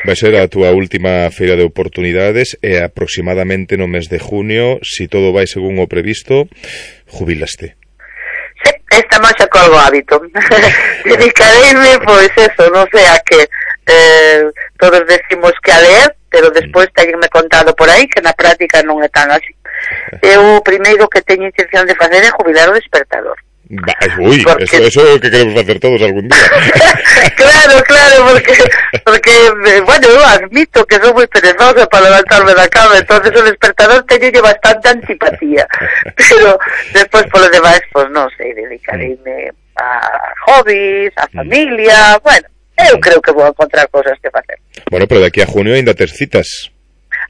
Vai ser a túa última feira de oportunidades e aproximadamente no mes de junio, si todo vai según o previsto, jubilaste. Sí, estamos xa colgo hábito. Dedicareime, pois eso, non sei a que eh, todos decimos que a ler, pero despois teñenme contado por aí que na práctica non é tan así. Eu o primeiro que teño intención de facer é jubilar o despertador. Va, ui, porque... eso, eso é o que queremos facer todos algún día. Claro, claro, porque, porque bueno, eu admito que son moi perezosa para levantarme da cama, entonces o despertador teño bastante antipatía, pero despois polo demais, pues non sei, dedicareime a hobbies, a familia, bueno, eu creo que vou encontrar cosas que facer. Bueno, pero de aquí a junio ainda tes citas.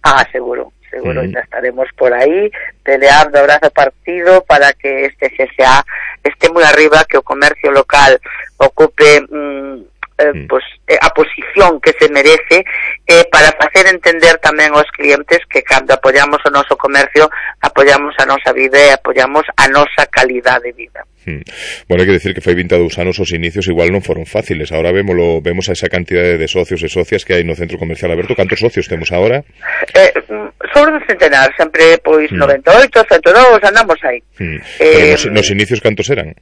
Ah, seguro. Seguro, mm. ya estaremos por ahí peleando abrazo partido para que este C C A esté muy arriba, que o comercio local ocupe mm, eh, mm. pues, eh, a posición que se merece, eh, para facer entender tamén aos clientes que cando apoyamos o noso comercio apoyamos a nosa vida e apoyamos a nosa calidade de vida. Mm. Bueno, hai que decir que fai vinte e dous anos os inicios igual non foron fáciles. Ahora vémolo, vemos a esa cantidade de socios e socias que hai no Centro Comercial Aberto. Cantos socios temos agora? Eh, sobre un centenar, sempre pois mm. noventa e oito, ciento dous, andamos aí. Mm. Pero eh, nos, nos inicios cantos eran?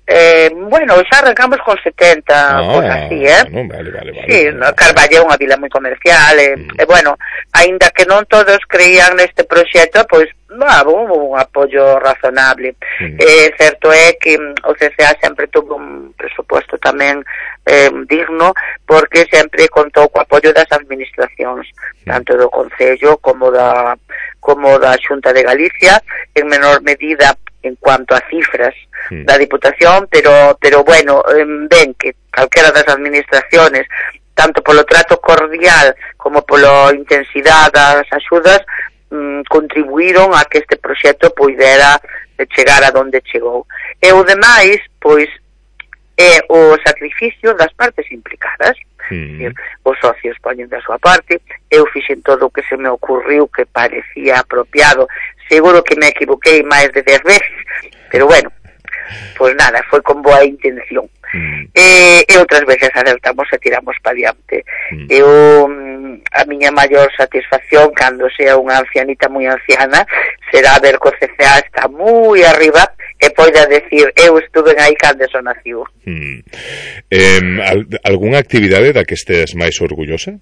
Eh, bueno, xa arrancamos con setenta, ah, pues así, eh? No, vale, vale, vale. Sí, vale. No, Carballo é unha vila moi comercial, e, mm. e bueno, aínda que non todos creían neste proxecto, pois, bah, hubo un apoio razonable. Mm. Eh, certo é que o C C A sempre tuvo un presupuesto tamén eh, digno, porque sempre contou co apoio das administracións, mm. tanto do Concello como da como da Xunta de Galicia, en menor medida en cuanto a cifras mm. da Diputación, pero pero bueno, eh, ven que calquera das administraciones, tanto polo trato cordial como pola intensidade das axudas, mm, contribuíron a que este proxecto poidera chegar a donde chegou. E o demais, pois, é o sacrificio das partes implicadas. Mm. Os socios poñen da súa parte, eu fixen todo o que se me ocurriu que parecía apropiado, seguro que me equivoquei máis de dez veces, pero bueno, pois nada, foi con boa intención. Mm. E, e outras veces alertamos e tiramos pa diante. Mm. Eu, a miña maior satisfacción cando sea unha ancianita moi anciana será ver que o C C A está moi arriba e poida decir, eu estuve aí cando eso naciu. Mm. Eh, al, algunha actividade da que estés máis orgullosa?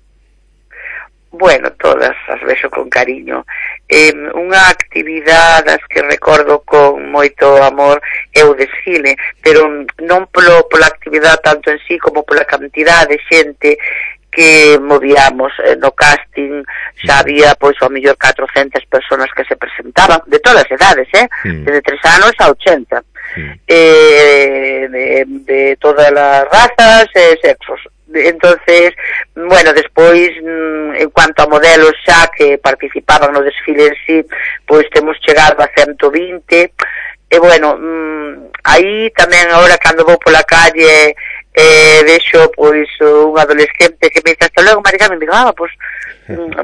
Bueno, todas as vexo con cariño. Eh, unha actividade das que recordo con moito amor é o desfile, pero non polo, pola actividade tanto en sí como pola cantidade de xente que movíamos eh, no casting. Xa había, pois, ao mellor catrocentas personas que se presentaban, de todas as edades, eh? Mm. Desde tres anos a ochenta. Mm. Eh, de, de todas as razas e sexos. Entonces, bueno, despois, en cuanto a modelos xa que participaban no desfile en sí, pois temos chegado a ciento vinte, e bueno, aí tamén agora cando vou pola calle eh, vexo pois un adolescente que me dice hasta logo, Mari Carmen, me digo, ah, pois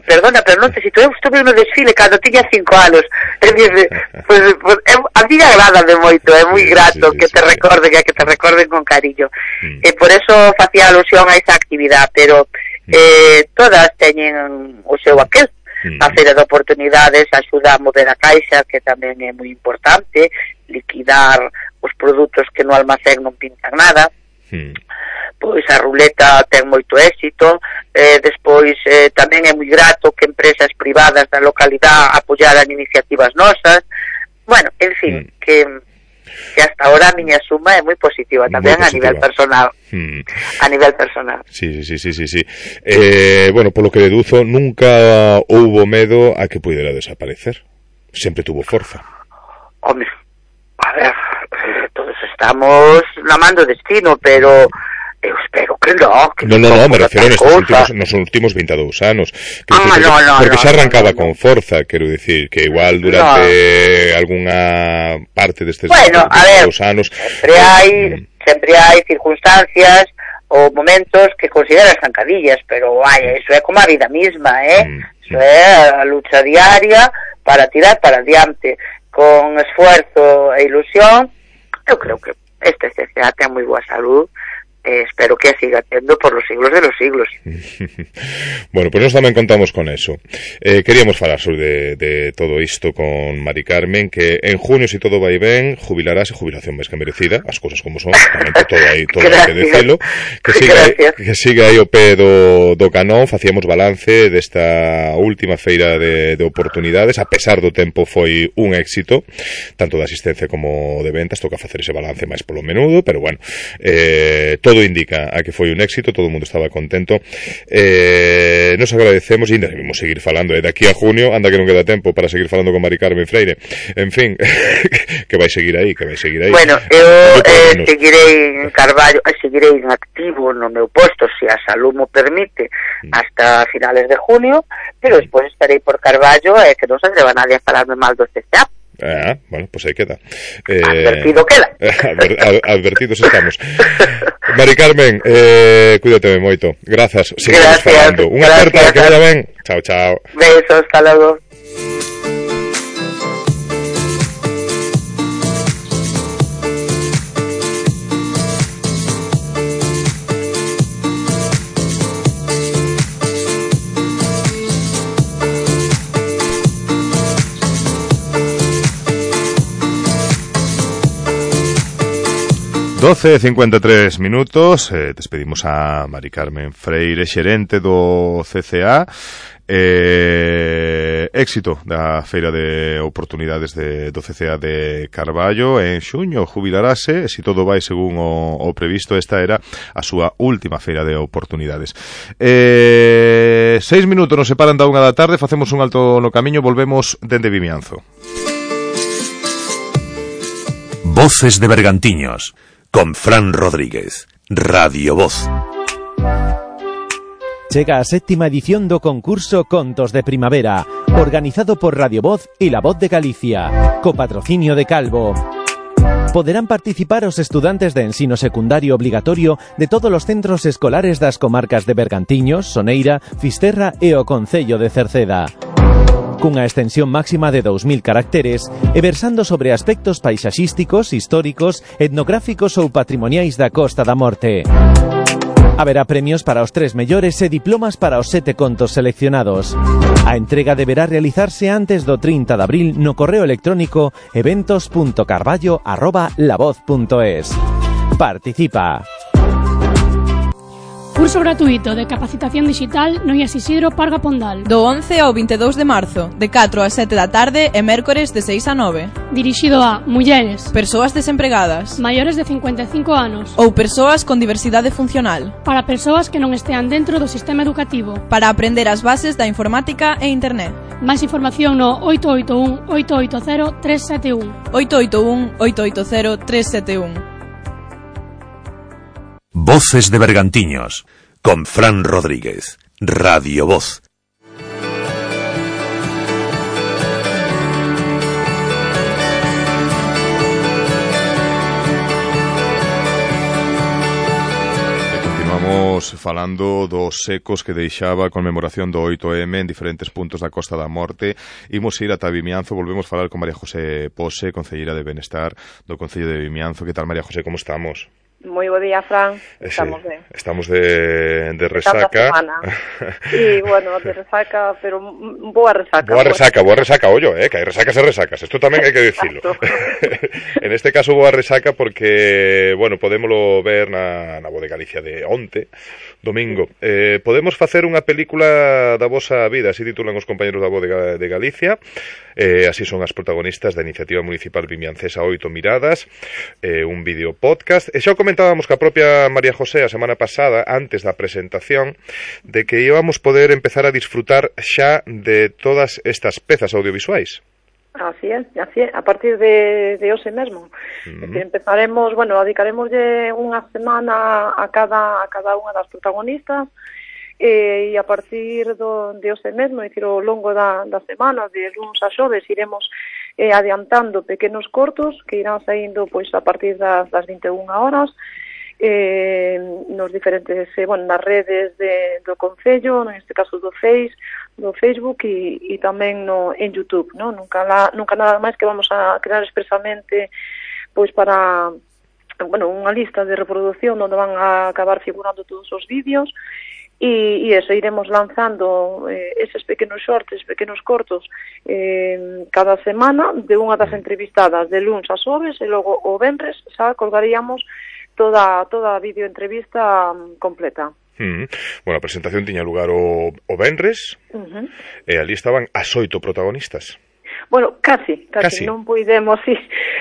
perdona, pero non te si eu estuve no desfile cando tiña cinco anos. É dicir, pois, pois, a mí agrada de moito, é moi grato sí, sí, que te sí, recorden, sí. que te recorden con cariño. Mm. E por eso facía alusión a esa actividade, pero eh, todas teñen o seu aquel. Mm. A feira de oportunidades axuda a mover a caixa, que tamén é moi importante, liquidar os produtos que no almacén non pintan nada. Mm. Pois a ruleta ten moito éxito, eh, despois eh, tamén é moi grato que empresas privadas da localidade apoyaran iniciativas nosas. Bueno, en fin, mm. que, que hasta ahora a miña suma é moi positiva tamén a nivel personal. Mm. A nivel personal. Sí, sí, sí, sí, sí. Eh, bueno, polo que deduzo, nunca houbo medo a que puidera desaparecer. Sempre tuvo forza. Home, a ver, eh, todos estamos na man do destino, pero eu espero que no, que no, no, no, me refiero nestes últimos, nos últimos veintidous anos. Que ah, porque, no, no, porque no, xa arrancaba no, no. con forza, quero dicir, que igual durante no. algunha parte destes bueno, veintidous anos... sempre hai, mm. sempre hai circunstancias ou momentos que consideras zancadillas, pero vaya, eso é como a vida misma, eh? Mm. Eso é a lucha diaria para tirar para adiante, con esfuerzo e ilusión. Eu creo que este C C A ten moi boa salud. Eh, espero que siga tendo por los siglos de los siglos. Bueno, pues nos tamén contamos con eso. Eh, queríamos falar sobre de, de todo isto con Mari Carmen, que en junio, si todo vai ben, jubilarase, jubilación máis que merecida, as cousas como son, realmente todo aí, todo hai que decilo, que siga, que siga aí o pé do, do canón. Facíamos balance desta última feira de, de oportunidades, a pesar do tempo foi un éxito, tanto de asistencia como de ventas, toca facer ese balance máis polo menudo, pero bueno, eh, todo Todo indica a que foi un éxito, todo o mundo estaba contento. Eh, nos agradecemos e ainda debemos seguir falando. E eh, daqui a junio, anda que non queda tempo para seguir falando con Mari Carmen Freire. En fin, que vai seguir aí, que vai seguir aí. Bueno, eu eh, seguirei en Carballo, eh, seguirei en activo no meu posto, se a salud mo permite, hasta finales de junio, pero despois estarei por Carballo e eh, que non se atreva nadie a falarme mal do C C A. Ah, bueno, pues aí queda. Eh, Advertido queda. Adver, ad, advertidos estamos. Mari Carmen, eh, cuídate moito. Grazas. Seguimos falando. Unha aperta, que vaya ben. Chao, chao. Besos, hasta logo. doce e cincuenta e tres minutos, eh, despedimos a Mari Carmen Freire, xerente do C C A. Eh, éxito da feira de oportunidades de, do C C A de Carballo. En xuño jubilarase, se si todo vai según o, o previsto. Esta era a súa última feira de oportunidades. Eh, seis minutos nos separan da unha da tarde, facemos un alto no camiño, volvemos dende Vimianzo. Voces de Bergantiños con Fran Rodríguez, Radio Voz. Chega a séptima edición do concurso Contos de Primavera, organizado por Radio Voz e La Voz de Galicia, co patrocinio de Calvo. Poderán participar os estudantes de ensino secundario obligatorio de todos os centros escolares das comarcas de Bergantiños, Soneira, Fisterra e o concello de Cerceda. Cunha extensión máxima de dous mil caracteres e versando sobre aspectos paisaxísticos, históricos, etnográficos ou patrimoniais da Costa da Morte. Haberá premios para os tres mellores e diplomas para os sete contos seleccionados. A entrega deberá realizarse antes do trinta de abril no correo electrónico eventos punto carballo arroba lavoz punto es. Participa! Curso gratuito de capacitación digital no I A S Isidro Parga Pondal. Do once ao vinte e dous de marzo, de catro a sete da tarde e mércores de seis a nove. Dirixido a mulleres, persoas desempregadas, maiores de cincuenta e cinco anos ou persoas con diversidade funcional. Para persoas que non estean dentro do sistema educativo. Para aprender as bases da informática e internet. Máis información no oito oito un, oito oito cero, tres sete un. oito oito un, oito oito cero, tres sete un. Voces de Bergantiños, con Fran Rodríguez, Radio Voz. Continuamos falando dos ecos que deixaba a conmemoración do oito eme en diferentes puntos da Costa da Morte. Imos ir ata Vimianzo, volvemos falar con María José Pose, concelleira de Benestar do Concello de Vimianzo. Que tal, María José, como estamos? Moi bo día, Fran. Estamos sí, ben. Estamos de, de resaca. E, bueno, de resaca, pero boa resaca. Boa resaca, boa resaca, ollo, eh, que hai resacas e resacas. Isto tamén hai que dicilo. En este caso, boa resaca porque, bueno, podémolo ver na, na Voz de Galicia de onte, domingo. Eh, podemos facer unha película da vosa vida, así titulan os compañeros da Voz de, de Galicia. Eh, así son as protagonistas da iniciativa municipal vimiancesa Oito Miradas, eh, un vídeo podcast. E xa comentábamos que a propia María José a semana pasada, antes da presentación, de que íbamos poder empezar a disfrutar xa de todas estas pezas audiovisuais. Así é, así é, a partir de, de hoxe mesmo. Uh-huh. Que empezaremos, bueno, dedicaremos unha semana a cada, a cada unha das protagonistas, e, e a partir do, de hoxe mesmo, é dicir, ao longo da, da semana, de luns a xoves, iremos eh, adiantando pequenos cortos que irán saindo pois a partir das, das vinte e unha horas, eh, nos diferentes, eh, bueno, nas redes de, do Concello, neste caso do Face, do Facebook e, e tamén no, en YouTube, no? Nunca, la, nunca nada máis que vamos a crear expresamente pois para, bueno, unha lista de reproducción onde van a acabar figurando todos os vídeos. E, e eso, iremos lanzando eh, eses pequenos shorts, pequenos cortos eh, cada semana de unha das entrevistadas de luns a xoves e logo o venres xa colgaríamos toda, toda a videoentrevista um, completa. Mm. Bueno, a presentación tiña lugar o, o venres, uh-huh. E ali estaban as oito protagonistas. Bueno, casi, casi. casi, non poidemos, sí,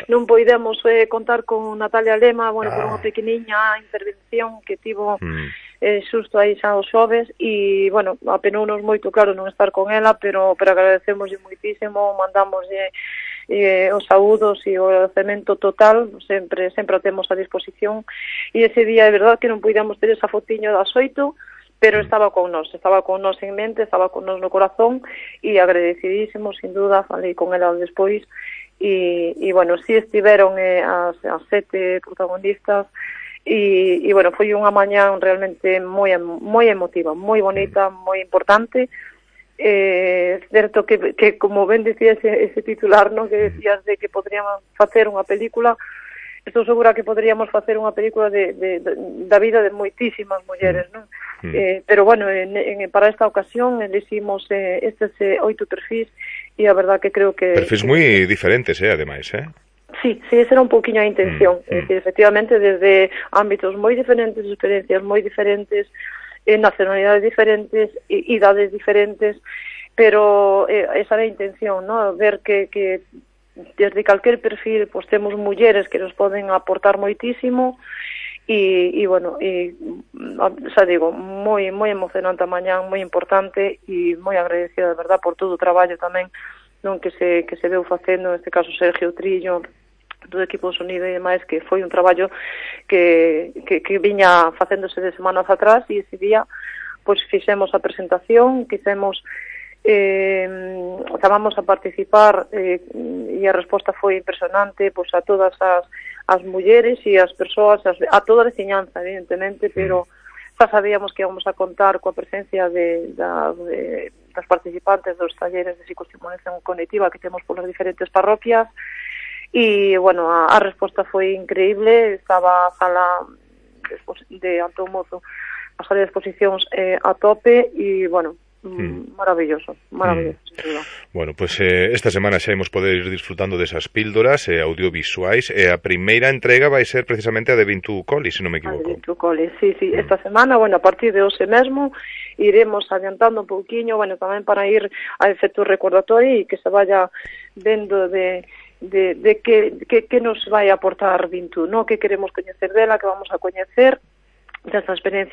non poidemos eh, contar con Natalia Lema, bueno, ah. por unha pequeniña intervención que tivo mm. eh, xusto aí xa os xoves e, bueno, apenounos moito, claro, non estar con ela, pero, pero agradecemoslle moitísimo, mandamoslle eh, os saúdos e o agradecemento total, sempre sempre o temos a disposición, e ese día é verdad que non poidamos ter esa fotiño das oito, pero estaba con nós, estaba con nós en mente, estaba con nós no corazón e agradecidísimos, sin duda, falei con ela despois e, e bueno, si estiveron eh, as, as sete protagonistas e, e bueno, foi unha mañá realmente moi moi emotiva, moi bonita, moi importante. É eh, certo que, que como ben dicía ese, ese titular, no, que decías de que podríamos facer unha película, estou segura que poderíamos facer unha película de, de, de, da vida de moitísimas mulleres, non? Mm. Eh, pero bueno, en, en, para esta ocasión elegimos eh, estes eh, oito perfis e a verdad que creo que... Perfis que, moi diferentes, eh, ademais, eh? Sí, sí, esa era un pouquiño a intención, mm. eh, que efectivamente desde ámbitos moi diferentes, experiencias moi diferentes, eh, nacionalidades diferentes, e, idades diferentes, pero eh, esa era a intención, ¿no? Ver que... que desde calquer perfil pues temos mulleres que nos poden aportar moitísimo e, e bueno, e, xa digo, moi moi emocionante a mañá, moi importante e moi agradecida de verdad por todo o traballo tamén non que se que se veu facendo, neste caso Sergio Trillo, do equipo de sonido e demais, que foi un traballo que, que, que viña facéndose de semanas atrás e ese día pois fixemos a presentación, quixemos Eh, chamamos a participar eh, e a resposta foi impresionante, pois a todas as, as mulleres e as persoas, as, a toda a veciñanza, evidentemente, pero xa sabíamos que íbamos a contar coa presencia de, da, de, das participantes dos talleres de psicoestimulación cognitiva que temos polas diferentes parroquias, e, bueno, a, a resposta foi increíble. Estaba a sala de, de Antón Mozo, a sala de exposicións eh, a tope, e, bueno, Mm. maravilloso, maravilloso. Mm. Bueno, pues eh, esta semana xa imos poder ir disfrutando desas píldoras eh, audiovisuais, e eh, a primeira entrega vai ser precisamente a de Vintu Coli, se non me equivoco. A de Vintu Coli, sí, sí, mm. esta semana, bueno, a partir de hoxe mesmo iremos adiantando un pouquiño, bueno, tamén para ir a efecto recordatorio e que se vaya vendo de de, de que, que, que nos vai aportar Vintu, ¿no? Que queremos coñecer dela, que vamos a coñecer desta experiencia